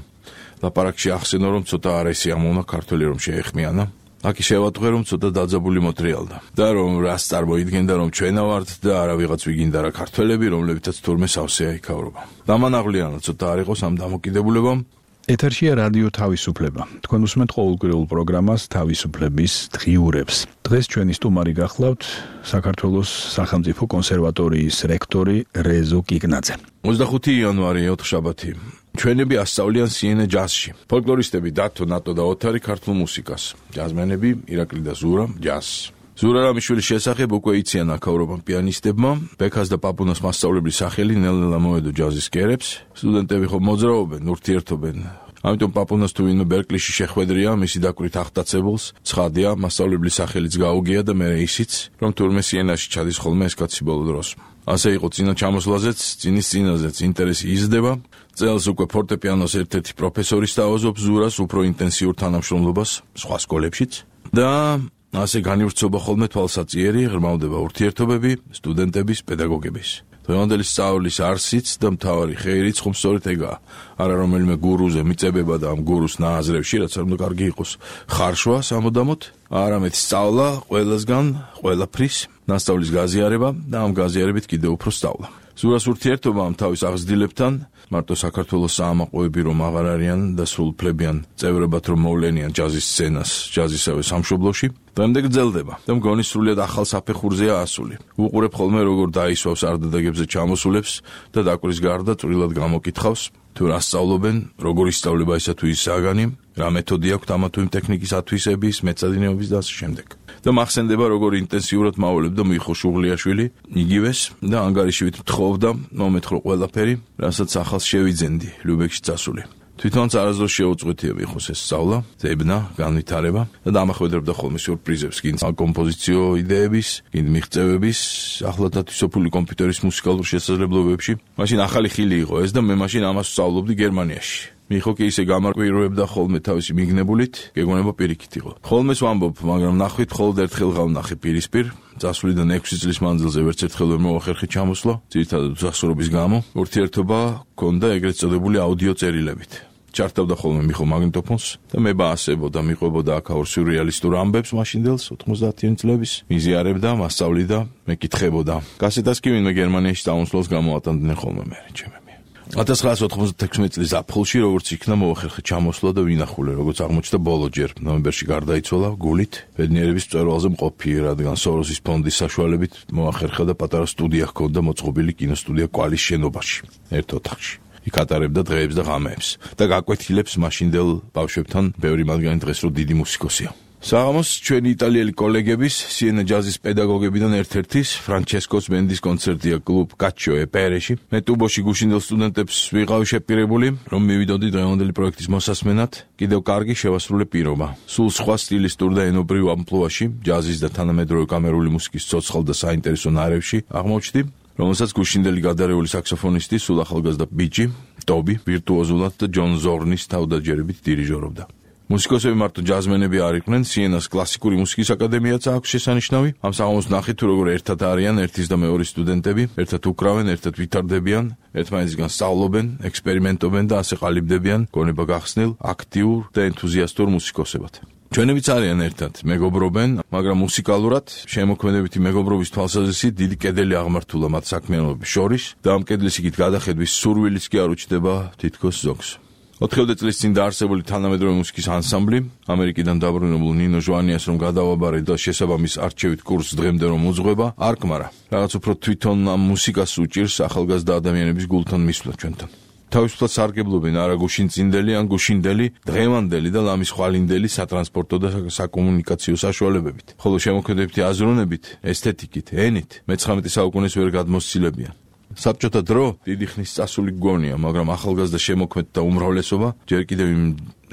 ლაპარაკში ახსენო რომ ცოტა არ ესიამოვნა ქართველი რომ შეეხმიანა. აქ შევატყვე რომ ცოტა დაძაბული მოტრიალდა და რომ რას წარმოიდგენდა რომ ჩვენა ვართ და არა ვიღაც ვიგინდა რა ქართველები რომლებიცაც თურმე სავსეა იქავრობა. დამანაღლიანად ცოტა არ იყოს ამ დამოკიდებულებამ. ეთერშია რადიო თავისუფლება. თქვენ უსმენთ ყოველკვირეულ პროგრამას თავისუფლების დღიურებს. დღეს ჩვენი სტუმარი გახლავთ საქართველოს სახელმწიფო კონსერვატორიის რექტორი რეზო კიკნაძე. ოცდახუთი იანვარი ოთხშაბათი. ჩვენები ასწავლიან სიენე ჯაზში. ფოლკლორისტები დათო, ნატო და ოთარი ქართულ მუსიკას. ჯაზმენები ირაკლი და ზურა ჯაზს. ზურა რამიშვილის შესახებ უკვე იციან აქაურობამ პიანისტებმა, ბექას და პაპუნას მასწავლებლის სახელი ნელ-ნელა მოედო ჯაზის კერებს. სტუდენტები ხო მოძრაობენ, ურთიერთობენ. ამიტომ პაპუნას თუ ვინმე ბერკლიში შეხვედრია, მისი დაკვირით აღტაცებულს, ცხადია, მასწავლებლის სახელიც გაუგია და მე ისიც, რომ თურმე სიენაში ჩადის ხოლმე ეს კაცი ბოლო დროს. ასე იყო წინა ჩამოსვლაზეც, წინის წინაზეც ინტერესი იზრდება. წელს უკვე ფორტეპიანოს ერთ-ერთი პროფესორი სთავაზობს ზურას უფრო ინტენსიურ თანამშრომლობას სხვა სკოლებშიც და ასე განივრცობა ხოლმე თვალსაწიერი, ღრმავდება ურთიერთობები სტუდენტების, პედაგოგების. დღევანდელი სწავლის არსიც და მთავარი ხეირიც ხომ სწორედ ეგაა. არა რომელიმე გურუზე მიწებება და ამ გურუს ნააზრევში, რაც არ უნდა კარგი იყოს, ხარშვა სამუდამოდ, არამედ სწავლა ყველასგან, ყველაფრის, ნასწავლის გაზიარება და ამ გაზიარებით კიდევ უფრო სწავლა. ზურას ურთიერთობა ამ თავის აღზრდილებთან, მარტო საქართველოს საამაყოები რომ აღარ არიან და სულ ფლებიან წევრებად რომ მოვლენიან ჯაზის სცენას, ჯაზისავე სამშობლოში, დღემდე გრძელდება და მგონი სრულიად ახალ საფეხურზეა ასული. უყურებ ხოლმე როგორ დაისვავს არდადეგებზე ჩამოსულებს და დაკვრის გარდა წვრილად გამოკითხავს, თუ რა სწავლობენ, როგორ ისწავლება ისა თუ ის საგანი, რა მეთოდი აქვთ ამა თუ იმ ტექნიკის ათვისების, მეცადინეობის და ასე შემდეგ. და მახსენდება როგორ ინტენსიურად მაულებდა მიხო შუღლიაშვილი, იგივეს და ანგარიშივით მთხოვდა მომეთხოვ ყველაფერი, რასაც ახალს შევიძენდი ლუბექში წასული. თვითონაც არასდროს შეუწყვეტია მიხოს ეს სწავლა, ზებნა, განვითარება და დამახვედრებდა ხოლმე სიურპრიზებს, კიდე კომპოზიციო იდეების, კიდე მიღწევების, ახლად ათვისებული კომპიუტერის მუსიკალურ შესაძლებლობებში. მაშინ ახალი ხილი იყო ეს და მე მაშინ ამას ვსწავლობდი გერმანიაში. მიხო კი ისე გამარკვირვებდა ხოლმე თავისი მიგნებულით, გეგონება პირიქით იყო. ხოლმეს ვამბობ, მაგრამ ნახვით მხოლოდ ერთხელ გავნახე პირისპირ, წასვლიდან ექვსი წლის მანძილზე ვერც ერთხელ ვერ მოვახერხე ჩამოსვლა, ძირითადად უსახსრობის გამო, ურთიერთობა ჰქონდა ეგრეთ წოდებული აუდიო წერილებით. ჩართავდა ხოლმე მიხო მაგნიტოფონს და მე ბაასებოდა, მიყვებოდა აქაურ სიურრეალისტურ ამბებს მაშინდელს ოცდაათი წლების, მიზიარებდა, მასწავლიდა, მეკითხებოდა. კასეტას კი ვინმე გერმანიაში დაუნსვლას გამოატანდნენ ხოლმე მე ჩემი. ათას ცხრაასი ოთხმოცდათექვსმეტი წლის აპრილში, როგორც იქნა მოვახერხე ჩამოსვლა და ვინახულე, როგორც აღმოჩნდა ბოლოჯერ, ნოემბერში გარდაიცვალა გულით, ბედნიერების მწვერვალზე მყოფი, რადგან სოროსის ფონდის საშუალებით მოახერხა და პატარა სტუდია ჰქონდა მოწყობილი კინოსტუდია კვალის შენობაში, ერთ ოთახში. იქ ატარებდა დღეებს და ღამეებს და გაკვეთილებს მაშინდელ ბავშვებთან, ბევრი მათგანი დღეს რო დიდი მუსიკოსია. საღამოს ჩვენი იტალიელი კოლეგების, სიენე ჯაზის პედაგოგებიდან ერთ-ერთის, ფრანჩესკოს ბენდის კონცერტია კლუბ კაჩო ეპერეში. მე ტუბოში გუშინდელ სტუდენტებს ვიყავი შეპირებული, რომ მივიდოდი დღევანდელი პროექტის მოსასმენად, კიდევ კარგი შევასრულე პირობა. სულ სხვა სტილისტურ და ენობრივ ამპლუაში, ჯაზის და თანამედროვე კამერული მუსიკის ცოცხალ და საინტერესო ნარევში აღმოჩნდი, რომელსაც გუშინდელი გადარეული საქსოფონისტი, სულ ახალგაზრდა ბიჭი, ტობი ვირტუოზულად და ჯონ ზორნის თავდაჯერებით დირიჟორობდა. მუსიკოსები მარტო ჯაზმენები არ იყვნენ, სიენას კლასიკური მუსიკის აკადემიაც აქვს შესანიშნავი. ამ საღამოს ნახეთ თუ როგორ ერთად არიან ერთის და მეორის სტუდენტები, ერთად უკრავენ, ერთად ვითარდებიან, ერთმანეთისგან სწავლობენ, ექსპერიმენტობენ და ასე ყალიბდებიან გონება გახსნილ, აქტიურ და ენთუზიასტურ მუსიკოსებად. ჩვენებიც არიან ერთად, მეგობრობენ, მაგრამ მუსიკალურად შემოქმედებითი მეგობრობის თვალსაზრისით დიდი კედელი აღმართულა მათ საქმიანობის შორის და ამ კედლის იქით გადახედვის სურვილიც კი არ უჩნდება თითქოს ზოგს. ოთხივე წლის წინ დაარსებული თანამედროვე მუსიკის ანსამბლი, ამერიკიდან დაბრუნებულ ნინო ჟვანიას რომ გადავაბარე და შესაბამის არჩევით კურსს დღემდე რომ უძღვება, არ კმარა. რაღაც უფრო თვითონ ამ მუსიკას უჭირს ახალგაზრდა ადამიანების გულთან მისვლა ჩვენთან. თავისუფლად სარგებლობენ არა გუშინწინდელი ან გუშინდელი, დღევანდელი და ლამის ხვალინდელი სატრანსპორტო და საკომუნიკაციო საშუალებებით, ხოლო შემოქმედებითი აზროვნებით, ესთეტიკით, ენით მეცხრამეტე საუკუნეს ვერ გადმოსცილებიან. საბჭოთა დრო დიდი ხნის წასული გონია, მაგრამ ახალგაზრდა შემოქმედთა უმრავლესობა ჯერ კიდევ იმ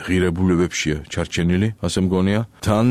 ღირებულებებშია ჩარჩენილი, ასე მგონია. თან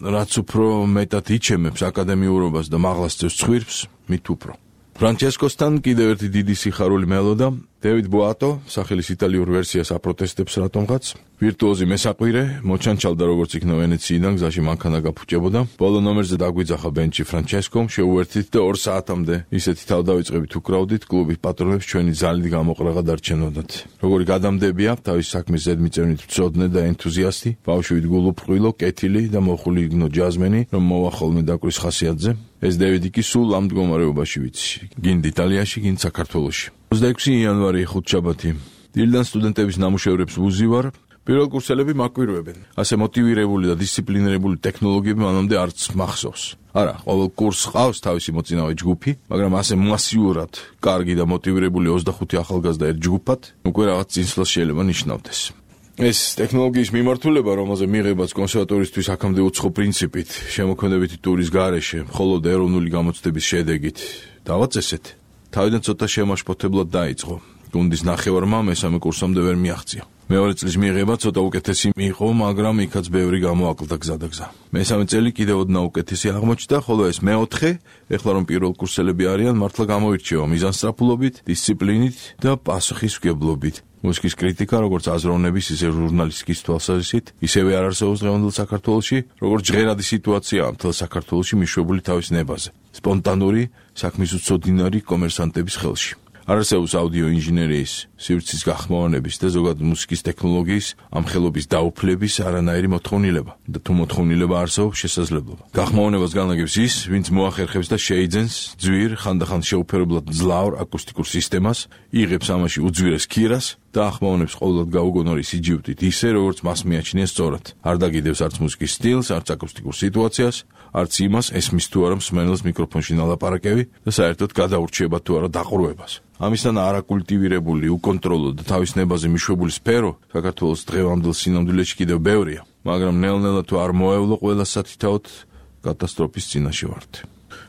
რაც უფრო მეტად იჩემებს აკადემიურობას და მაღლა სწევს ცხვირს, მით უფრო. ფრანჩესკოსთან კიდევ ერთი დიდი სიხარული მელოდა, დევიდ ბოატო, სახელის იტალიურ ვერსიას აპროტესტებს რატომღაც. ვირტუოზი მესაყვირე, მოჩანჩალდა როგორც იქნა ვენეციიდან, გზაში მანქანა გაფუჭებოდა. ბოლო ნომერზე დაგვიძახა ბენჩი ფრანჩესკომ, შეუერთით და ორ საათამდე ისეთი თავდავიწყებით უკრავდით, კლუბის პატრონებს ჩვენი ძალით გამოყრაღა დარჩენოდათ. როგორი გადამდებია, თავის საქმის ზედმიწევნით მწოდნე და ენთუზიასტი, ბავშვით გულუბრყვილო, კეთილი და მოხული იგნო ჯაზმენი, რომ მოვა ხოლმე დაკვრის ხასიათზე. ეს დევიდი კი სულ ამ მდგომარეობაში ვიცი. გინდ იტალიაში, გინდ საქართველოში. ოცდაექვსი იანვარი ხუთშაბათი. დილიდან სტუდენტების ნამუშევრებს ვუზივარ. პირველ კურსელები მაკვირვებენ. ასე მოტივირებული და დისციპლინირებული ტექნოლოგიები მანამდე არც მახსოვს. არა, ყოველ კურსს ყავს თავისი მოწინავე ჯგუფი, მაგრამ ასე მასიურად კარგი და მოტივირებული ოცდახუთი ახალგაზრდა ერთ ჯგუფად უკვე რაღაც წინსვლას შეიძლება ნიშნავდეს. ეს ტექნოლოგიის მიმართულება, რომელზე მიღებაც კონსერვატორისთვის აქამდე უცხო პრინციპით, შემოქმედებითი ტურის გარეშე, მხოლოდ ეროვნული გამოცდების შედეგით დავაწესეთ. თავიდან ცოტა შემაშფოთებლად დაიწყო. გუნდის ნახევარმა მესამე კურსამდე ვერ მიაღწია. მეორე წლის მიღება ცოტა უკეთესი მიიღო, მაგრამ იქაც ბევრი გამოაკლდა გზადაგზა. მესამე წელი კიდევ ოდნავ უკეთესი აღმოჩნდა, ხოლო ეს მეოთხე, ეხლა რომ პირველ კურსელები არიან, მართლა გამოირჩევა მიზანსწრაფულობით, დისციპლინით და პასუხისმგებლობით. მუსიკის კრიტიკა, როგორც აზროვნების, ისე ჟურნალისტიკის თვალსაზრისით, ისევე არ არსებობს დღევანდელ საქართველოში, როგორც ჟღერადი სიტუაციაა მთელ საქართველოში მიშვებული თავის ნებაზე. სპონტანური, საქმის უცოდინარი კომერსანტების ხელში. არ არსებობს აუდიო ინჟინერიის, სივრცის გახმოვანების და ზოგადად მუსიკის ტექნოლოგიის ამ ხელობის დაუფლების არანაირი მოთხოვნილება და თუ მოთხოვნილება არსებობს შესაძლებლობა. გახმოვანებას განაგებს ის, ვინც მოახერხებს და შეიძენს ძვირ, ხანდახან შეუფერებლად ძლავრ აკუსტიკურ სისტემას, იღებს ამაში უძვირეს ქირას და ახმოვანებს ყოველად გაუგონორი სიჯიუტით ისე, როგორც მას მიაჩნია სწორად. არ დაგიდევს არც მუსიკის სტილს, არც აკუსტიკურ სიტუაციას, არც იმას, ესმის თუ არა მსმენელს მიკროფონში ნალაპარაკები და საერთოდ გადაურჩიება თუ არა დაყრუებას. ამისთან არაკულტივირებული, უკონტროლო და თავის ნებაზე მიშვებული სფერო საქართველოს დღევანდელ სინამდვილეში კიდევ ბევრია, მაგრამ ნელ-ნელა თუ არ მოევლო ყველა სათითაოდ კატასტროფის წინაშე ვართ.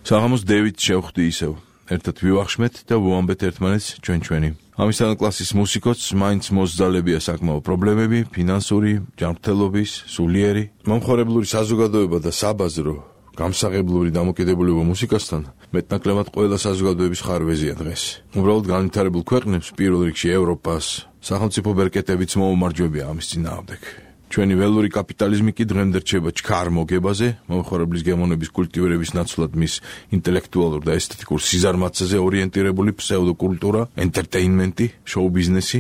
საღამოს დევიდ შევხვდი ისევ. ერთად ვივახშმეთ და ვუამბეთ ერთმანეთს ჩვენ-ჩვენი. ამისთან კლასის მუსიკოც მაინც მოსძალებია საკმაო პრობლემები, ფინანსური, ჯანმრთელობის, სულიერი, მომხმარებლური საზოგადოება და საბაზრო გამსაღებლური დამოკიდებულება მუსიკასთან მეტნაკლებად ყველა საზოგადოების ხარვეზია დღეს. უბრალოდ განვითარებულ ქვეყნებს, პირველ რიგში ევროპას, სახელმწიფო ბერკეტებიც მოუმარჯვებია ამის წინააღმდეგ. ჩვენი ველური კაპიტალიზმი კი დღემდე რჩება ჩქარ მოგებაზე, მომხმარებლის გემოვნების კულტივირების ნაცვლად მის ინტელექტუალურ და ესთეტიკურ სიზარმაცეზე ორიენტირებული ფსევდოკულტურა, ენტერტეინმენტი, შოუ-ბიზნესი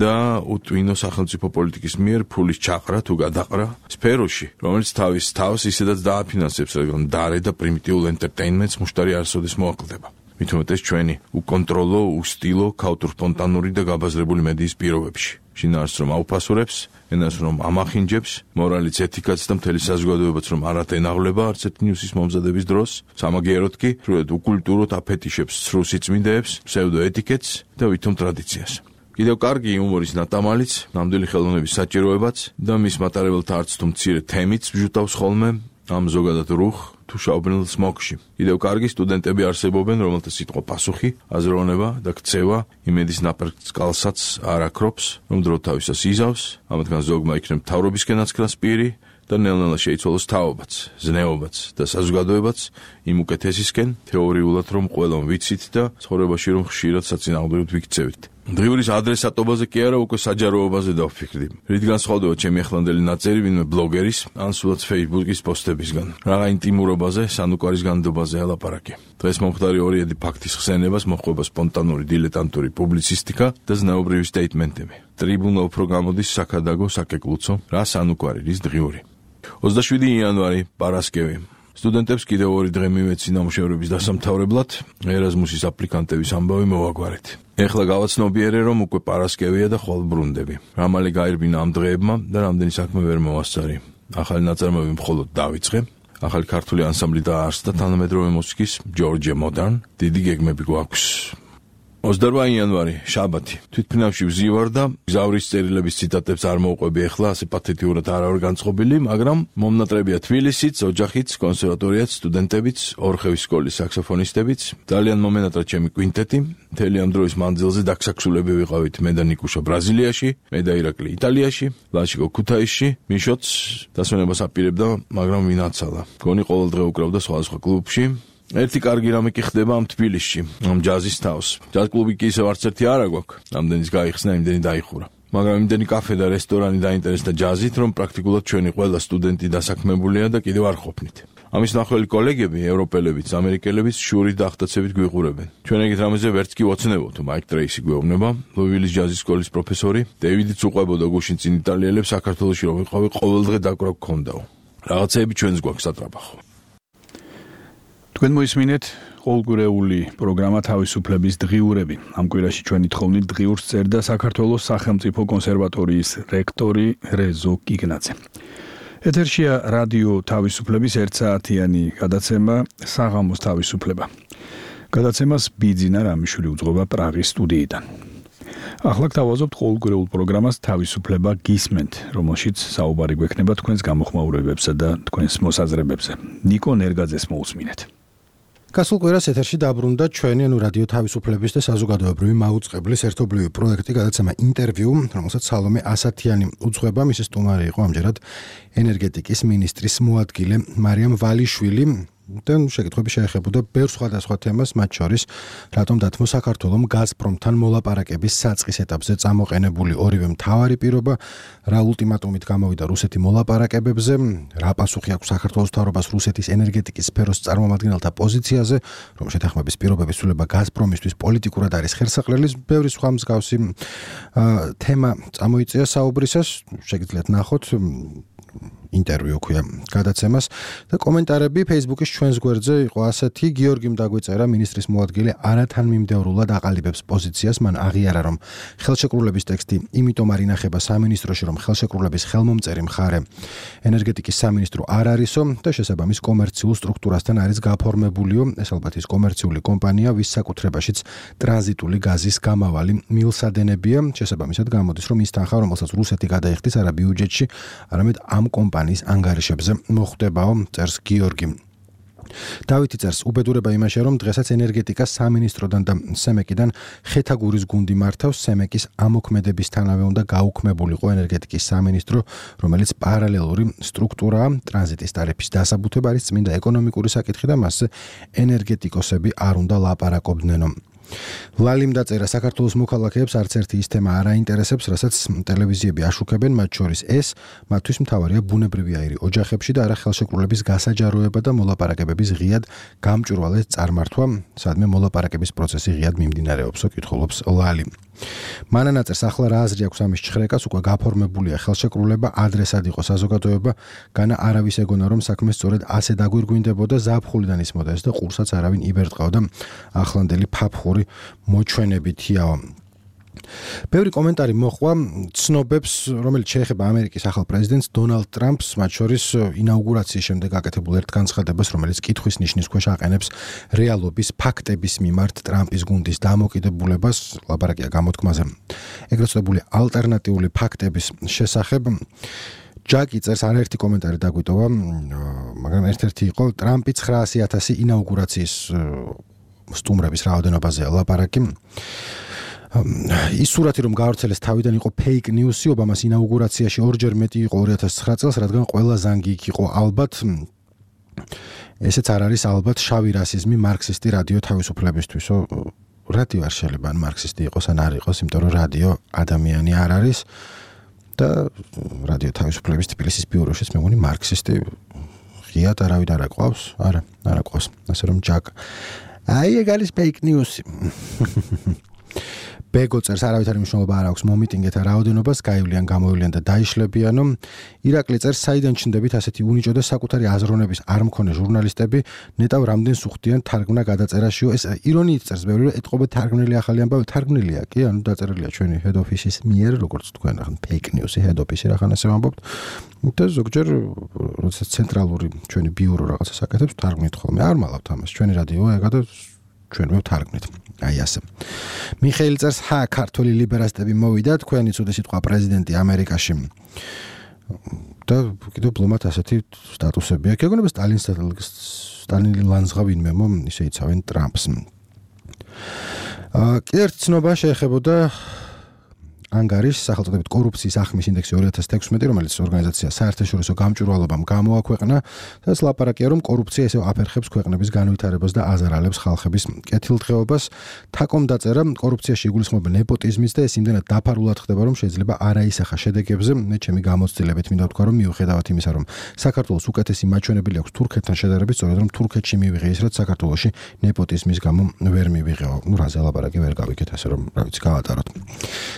და უტვინო სახელმწიფო პოლიტიკის მიერ ფულის ჩაყრა თუ გადაყრა სფეროში, რომელიც თავის თავს ისედაც დააფინანსებს, რადგან დარე და პრიმიტიულ ენტერტეინმენტს მუშტარი არასოდეს მოაკლდება. მით უმეტეს ჩვენი უკონტროლო, უსტილო, ქაუტრ-სპონტანური და გაბაზრებული მედიის პირობებში. შინაარსს რომ აუფასურებს, ენას რომ ამახინჯებს, მორალიც, ეთიკაც და მთელი საზოგადოებაც რომ არ ათენაღლება არც ერთ ნიუსის მომზადების დროს, სამაგიეროდ კი სრულად უკულტუროდ აფეტიშებს ცრუ სიწმინდეებს, ფსევდოეთიკეტს და ვითომ ტრადიციას. კიდევ კარგი იუმორის ნატამალიც, ნამდვილი ხელოვნების საჭიროებაც და მის მატარებელთა არც თუ მცირე თემიც ბჟუტავს ხოლმე ამ ზოგადად რუხ თუ შავბნელ სმოგში. კიდევ კარგი სტუდენტები არსებობენ, რომელთა სიტყვა პასუხი, აზროვნება და ქცევა იმედის ნაპერწკალსაც არ აქრობს, რომ დრო თავისას იზავს, ამათგან ზოგმა იქნებ მთავრობისკენაც ქრას პირი და ნელ-ნელა შეიცვალოს თაობაც, ზნეობაც და საზოგადოებაც იმ უკეთესისკენ, თეორიულად რომ ყველამ ვიცით და ცხოვრებაში რომ ხშირად საწინააღმდეგოდ ვიქცევით. დღიურის ადრესატობაზე კი არა, უკვე საჯაროობაზე დავფიქრდი. რითგან სხავდება ჩემი ახლანდელი ნაწერი ვინმე ბლოგერის, ან სულაც Facebook-ის პოსტებისგან. რაღა ინტიმურობაზე, სანუკვარის განდობაზე ელაპარაკე. დღეს მომხდარი ორიედი ფაქტის ხსენებას მოჰყვება სპონტანური დილეტანტური პუბლიცისტიკა და ზნეობრივი სტეიტმენტები. ტრიბუნა უფრო გამოდის საქადაგო, საკეკლუცო, რა სანუკვარი, რის დღიური. ოცდაშვიდი იანვარი, პარასკევი. სტუდენტებს კიდევ ორი დღე მივეცი ნამუშევრების დასამთავრებლად, ერაზმუსის აპლიკანტების ამბავი მოვაგვარეთ. ეხლა გავაცნობიერე, რომ უკვე პარასკევია და ხვალ ბრუნდები. რა მალე გაირბინა ამ დღეებმა და რამდენი საქმე ვერ მოვასწარი. ახალი ნაწარმოები მხოლოდ დავიწყე. ახალი ქართული ანსამბლი დაარსდა თანამედროვე მუსიკის ჯორჯე მოდარნ. დიდი გეგმები გვაქვს. ოცდაორ იანვარი, შაბათი. თვითფრინავში ვზივარ და გზავრის წერილების ციტატებს არ მოვყვები ახლა, ასე პათეტიურად არ ვარ განწყობილი, მაგრამ მომნატრებია თბილისიც, ოჯახიც, კონსერვატორიაც, სტუდენტებიც, ორხევის სკოლის საქსოფონისტებიც, ძალიან მომენატრა ჩემი კვინტეტი. მთელი ამ დროის მანძილზე დაქსაქსულები ვიყავით მე და ნიკუშა ბრაზილიაში, მე და ირაკლი იტალიაში, ლაშიკო ქუთაისში, მიშოც დასვენებას აპირებდა, მაგრამ ვინ აცალა. გონი ყოველ დღე უკრავდა სხვადასხვა კლუბში. ერთი კარგი რამე კი ხდება ამ თბილისში, ამ ჯაზის თავს. ჯაზ კლუბი კი ისევ არც ერთი არა გვაქვს. რამდენის გაიხსნა, იმდენი დაიხურა. მაგრამ იმდენი კაფე და რესტორანი დაინტერესდა ჯაზით, რომ პრაქტიკულად ჩვენი ყველა სტუდენტი დასაქმებულია და კიდევ არ ყოფნით. ამის ნახველი კოლეგები, ევროპელებიც, ამერიკელებიც შურით და ახტაცებით გვიყურებენ. ჩვენ ეგეთ რამეზე ვერც კი ვოცნებობთ, მაიკ ტრეისი გვეუბნება, ლუივილის ჯაზის სკოლის პროფესორი, დეივიდიც უყვებოდა გუშინ წინ იტალიელებს საქართველოში რომ ვიყავი ყოველდღე დაკვრა გქონდაო. რაღაცეები ჩვენს გვაქვს სატრაბახო. თქვენ მოისმინეთ ყოველკვირეული პროგრამა თავისუფლების დღიურები. ამ კვირაში ჩვენი თხოვნით დღიურს წერდა საქართველოს სახელმწიფო კონსერვატორიის რექტორი რეზო კიგნაძე. ეთერშია რადიო თავისუფლების ერთსაათიანი გადაცემა საღამოს თავისუფლება. გადაცემას ბიძინა რამიშვილი უძღვება პრაღის სტუდიიდან. ახლა გთავაზობთ ყოველკვირეულ პროგრამას თავისუფლება გისმენთ, რომელშიც საუბარი გვექნება თქვენს გამოხმაურებებსა და თქვენს მოსაზრებებზე. ნიკო ნერგაძეს მოусმინეთ. გასულ კვირას ეთერში დაბრუნდა ჩვენი ანუ რადიო თავისუფლების და საზოგადოებრივი მაუწყებლის ერთობლივი პროექტი გადაცემა ინტერვიუ, რომელსაც სალომე ასათიანი უძღვება. მისი სტუმარი იყო ამჯერად ენერგეტიკის მინისტრის მოადგილე მარიამ ვალიშვილი. და შეკითხვები შეეხებოდა ბევრ სხვადასხვა თემას, მათ შორის რატომ დათმო საქართველომ გაზპრომთან მოლაპარაკების საწყის ეტაპზე წამოყენებული ორივე მთავარი პირობა, რა ულტიმატუმით გამოვიდა რუსეთი მოლაპარაკებებზე, რა პასუხი აქვს საქართველოს მთავრობას რუსეთის ენერგეტიკის სფეროს წარმომადგენელთა პოზიციაზე, რომ შეთანხმების პირობების ცვლილება გაზპრომისთვის პოლიტიკურად არის ხერსაყრელი, ბევრი სხვა მსგავსი თემა წამოიწია საუბრისას, შეგიძლიათ ნახოთ ინტერვიუ ქვია გადაცემას და კომენტარები Facebook-ის ჩვენს გვერდზე იყო ასეთი. გიორგიმ დაგვეწერა, მინისტრის მოადგილე არათანმიმდევრულად აყალიბებს პოზიციას, მან აღიარა, რომ ხელშეკრულების ტექსტი იმიტომ არ ინახება სამინისტროში, რომ ხელშეკრულების ხელმომწერი მხარე ენერგეტიკის სამინისტრო არ არისო და შესაბამის კომერციულ სტრუქტურასთან არის გაფორმებულიო. ეს ალბათ ის კომერციული კომპანია, ვის საკუთრებაშიც ტრანზიტული გაზის გამავალი მილსადენებია. შესაბამისად გამოდის, რომ ის თანხა, რომელსაც რუსეთი გადაიხდის არა ბიუჯეტში, არამედ ამ კომპანიას ანგარიშებზე მოხვდებაო, წერს გიორგი. დავითი წერს, უბედურება იმაშია, რომ დღესაც ენერგეტიკას სამინისტროდან და სემეკიდან ხეთაგურის გუნდი მართავს. სემეკის ამოქმედებისთანავე უნდა გაუქმებულიყო ენერგეტიკის სამინისტრო, რომელიც პარალელური სტრუქტურაა. ტრანზიტის ტარიფის დასაბუთება არის წმინდა ეკონომიკური საკითხი და მასზე ენერგეტიკოსები არ უნდა ლაპარაკობდნენო. ლალიმ დაწერა, საქართველოს მოქალაქეებს არც ერთი ის თემა არ აინტერესებს, რასაც ტელევიზიები აშუქებენ, მათ შორის ეს, მათთვის მთავარია ბუნებრივი აირი ოჯახებში და არა ხელშეკრულების გასაჯაროება და მოლაპარაკებების ღიად გამჭვირვალე წარმართვა, სადმე მოლაპარაკების პროცესი ღიად მიმდინარეობსო, კითხულობს ლალი. მანანა წერს, ახლა რა აზრი აქვს ამის ჩხრეკას, უკვე გაფორმებულია ხელშეკრულება, ადრესად იყო საზოგადოება, განა არავის ეგონა, რომ საქმე სწორედ ასე დაგვირგვინდებოდა, ზაფხულიდან ისმოდა ეს და ყურსაც არავინ იბერტყავდა ახლანდელი ფაფხური მოჩვენებითიაო. ბევრი კომენტარი მოხვა ცნობებს, რომელიც შეეხება ამერიკის ახალ პრეზიდენტს დონალდ ტრამპს, მათ შორის ინაუგურაციის შემდეგ გაკეთებულ ერთ განცხადებას, რომელიც კითხვის ნიშნის ქვეშ აყენებს რეალობის ფაქტების მიმართ ტრამპის გუნდის დამოკიდებულებას, ლაპარაკია გამოთქმაზე. ეგრეთ წოდებული ალტერნატიული ფაქტების შესახებ ჯაკი წერს, არაერთი კომენტარი დაგვიტოვა, მაგრამ ერთ-ერთი იყო ტრამპი ცხრაასი ათასი ინაუგურაციის სტუმრების რაოდენობაზე ლაპარაკი. ის სურათი რომ გავრცელეს თავიდან იყო ფეიქ ნიუსი, ობამას ინაუგურაციაში ორჯერ მეტი იყო ორი ათას ცხრა წელს, რადგან ყველა ზანგი იქ იყო ალბათ. ესეც არ არის ალბათ შავი რასიზმი მარქსისტი რადიო თავისუფლებისთვისო, რადიო არ შეიძლება ან მარქსისტი იყოს ან არ იყოს, იმიტომ რომ რადიო ადამიანი არ არის და რადიო თავისუფლების თბილისის ბიუროშიც მე მგონი მარქსისტი ღიად არავინ არ აყვავს, არა, არ აყვავს, ასე რომ ჯაკ. აი ეგ არის fake news. ბეგო წერს არავითარი მნიშვნელობა არ აქვს მომიტინგეთა რაოდენობას, გაივლიან, გამოივლიან და დაიშლებიანო. ირაკლი წერს, საიდან ჩნდებით ასეთი უნიჭო და საკუთარი აზროვნების არ მქონე ჟურნალისტები, ნეტავ რამდენს უხდიან თარგმნა გადაწერაშიო. ეს ირონიით წერს ბევრი, რომ ეთყობა თარგმნილი ახალი ამბავი, თარგმნილია კი, ანუ დაწერილია ჩვენი head office-ის მიერ, როგორც თქვენ ახლა fake news-ი head office-ი რახან ასე ვამბობთ. და ზოგჯერ როდესაც ცენტრალური ჩვენი ბიურო რაღაცას აკეთებს, თარგმნით ხოლმე. არ მალავთ ამას, ჩვენი რადიო ეგა და ჩვენ ვთარგმნით. აი ასე. მიხეილ წერს, ჰა, ქართული ლიბერალისტები მოვიდა, თქვენი ცუდი სიტყვა პრეზიდენტი ამერიკაში. და კიდევ ბლომად ასეთი სტატუსები აქვს. ეგონება სტალინის სტალინი ლანძღა ვინმემო ისე იცავენ ტრამპს. აა კიდევ ერთი ცნობა შეეხებოდა ანგარის სახელწოდებით კორუფციის ახმის ინდექსი ორი ათას თექვსმეტი, რომელიც ორგანიზაცია საერთაშორისო გამჭვირვალობამ გამოაქვეყნა, სადაც ლაპარაკია, რომ კორუფცია ისევ აფერხებს ქვეყნების განვითარებას და აზარალებს ხალხების კეთილდღეობას. თაკომ დაწერა, კორუფციაში იგულისხმება ნეპოტიზმიც და ეს იმდენად დაფარულად ხდება, რომ შეიძლება არაისახა შედეგებზე. მე ჩემი გამოცდილებით მინდა ვთქვა, რომ მიუხედავად იმისა, რომ საქართველოს უკეთესი მაჩვენებელი აქვს თურქეთთან შედარებით, სწორედ რომ თურქეთში მივიღე ის, რაც საქართველოში ნეპოტიზმის გამო ვერ მივიღეო. ნუ რაზე ლაპარაკი ვერ გავიქეთ, ასე რომ რა ვიცი, გავატაროთ.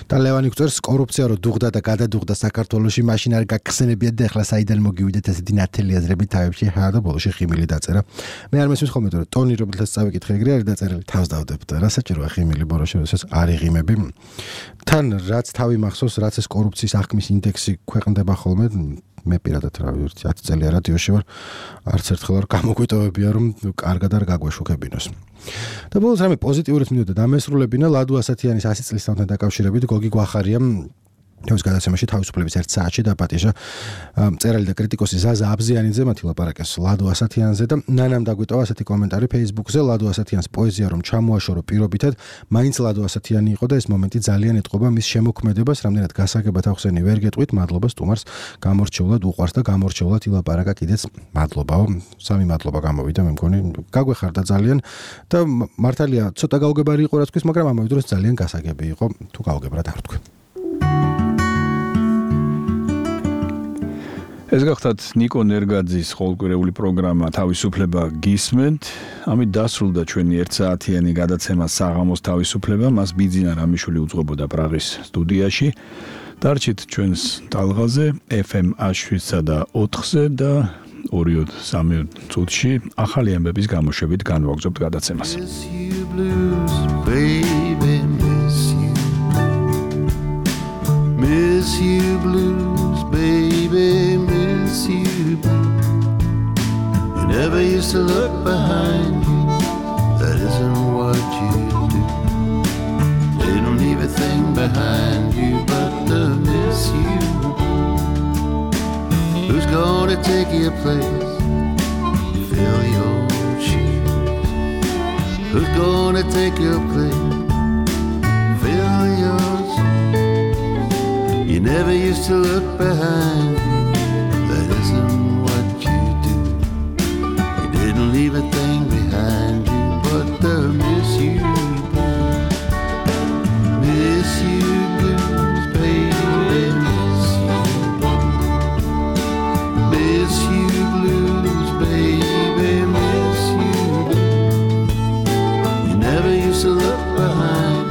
და ლევანი წერს, კორუფცია რო დუღდა და გადადუღდა საქართველოში, მაშინ არ გაგხსენებიათ და ახლა საიდან მოგივიდეთ ასეთი ნათელი აზრები თავებში, ჰა და ბოლოში ხიმილი დაწერა. მე არ მესმის ხოლმე, რომ ტონი რომელთაც წავიკითხე ეგრე არის დაწერილი, თავს დავდებ და რა საჭიროა ხიმილი ბოლოში, როდესაც არ იღიმები. თან რაც თავი მახსოვს, რაც ეს კორუფციის ახმის ინდექსი ქვეყნდება ხოლმე, მე პირადად რა ვიცი, ათი წელი რადიოში ვარ, არც ერთხელ არ გამოგვიტოვებია, რომ კარგად არ გაგვეშუქებინოს. და ბოლოს რამე პოზიტიურიც მინდოდა დამესრულებინა ლადო ასათიანის ასი წლის თამთან დაკავშირებით გოგი გვახარია თავს გადაცემაში თავისუფლების ერთ საათში დაპატიჟა მწერალი და კრიტიკოსი ზაზა აბზიანიძე მათი ლაპარაკეს ლადო ასათიანზე და ნანამ დაგვიტოვა ასეთი კომენტარი Facebook-ზე ლადო ასათიანს პოეზია რომ ჩამოაშორო პირობითად მაინც ლადო ასათიანი იყო და ეს მომენტი ძალიან ეტყობა მის შემოქმედებას რამდენად გასაგებად ახსენი ვერ გეტყვით მადლობა სტუმარს გამორჩეულად უყვარს და გამორჩეულად ილაპარაკა კიდეც მადლობაო სამი მადლობა გამოვიდა მე მგონი გაგვეხარდა ძალიან და მართალია ცოტა გაუგებარი იყო რა თქვის მაგრამ ამავე დროს ძალიან გასაგები იყო თუ გაუგებრად არ თქვი ეს გახდათ ნიკო ნერგაძის ყოველკვირეული პროგრამა თავისუფლება გისმენთ. ამით დასრულდა ჩვენი ერთ საათიანი გადაცემა საღამოს თავისუფლება. მას ბიძინა რამიშვილი უძღვებოდა პრაღის სტუდიაში. დარჩით ჩვენს ტალღაზე ეფ ემ შვიდსა და ოთხზე და ორი სამი წუთში ახალი ამბების გამოშვებით განვაგრძობთ გადაცემას. Miss you blues, baby, miss you blue. You never used to look behind you, that isn't what you do. They don't leave a thing behind you but to miss you. Who's gonna take your place, fill your shoes? Who's gonna take your place, fill your You never used to look behind you, that isn't what you do. You didn't leave a thing behind you but to miss you blues. Miss you blues, baby, miss you blues. Miss you blues, baby, miss you blues. You never used to look behind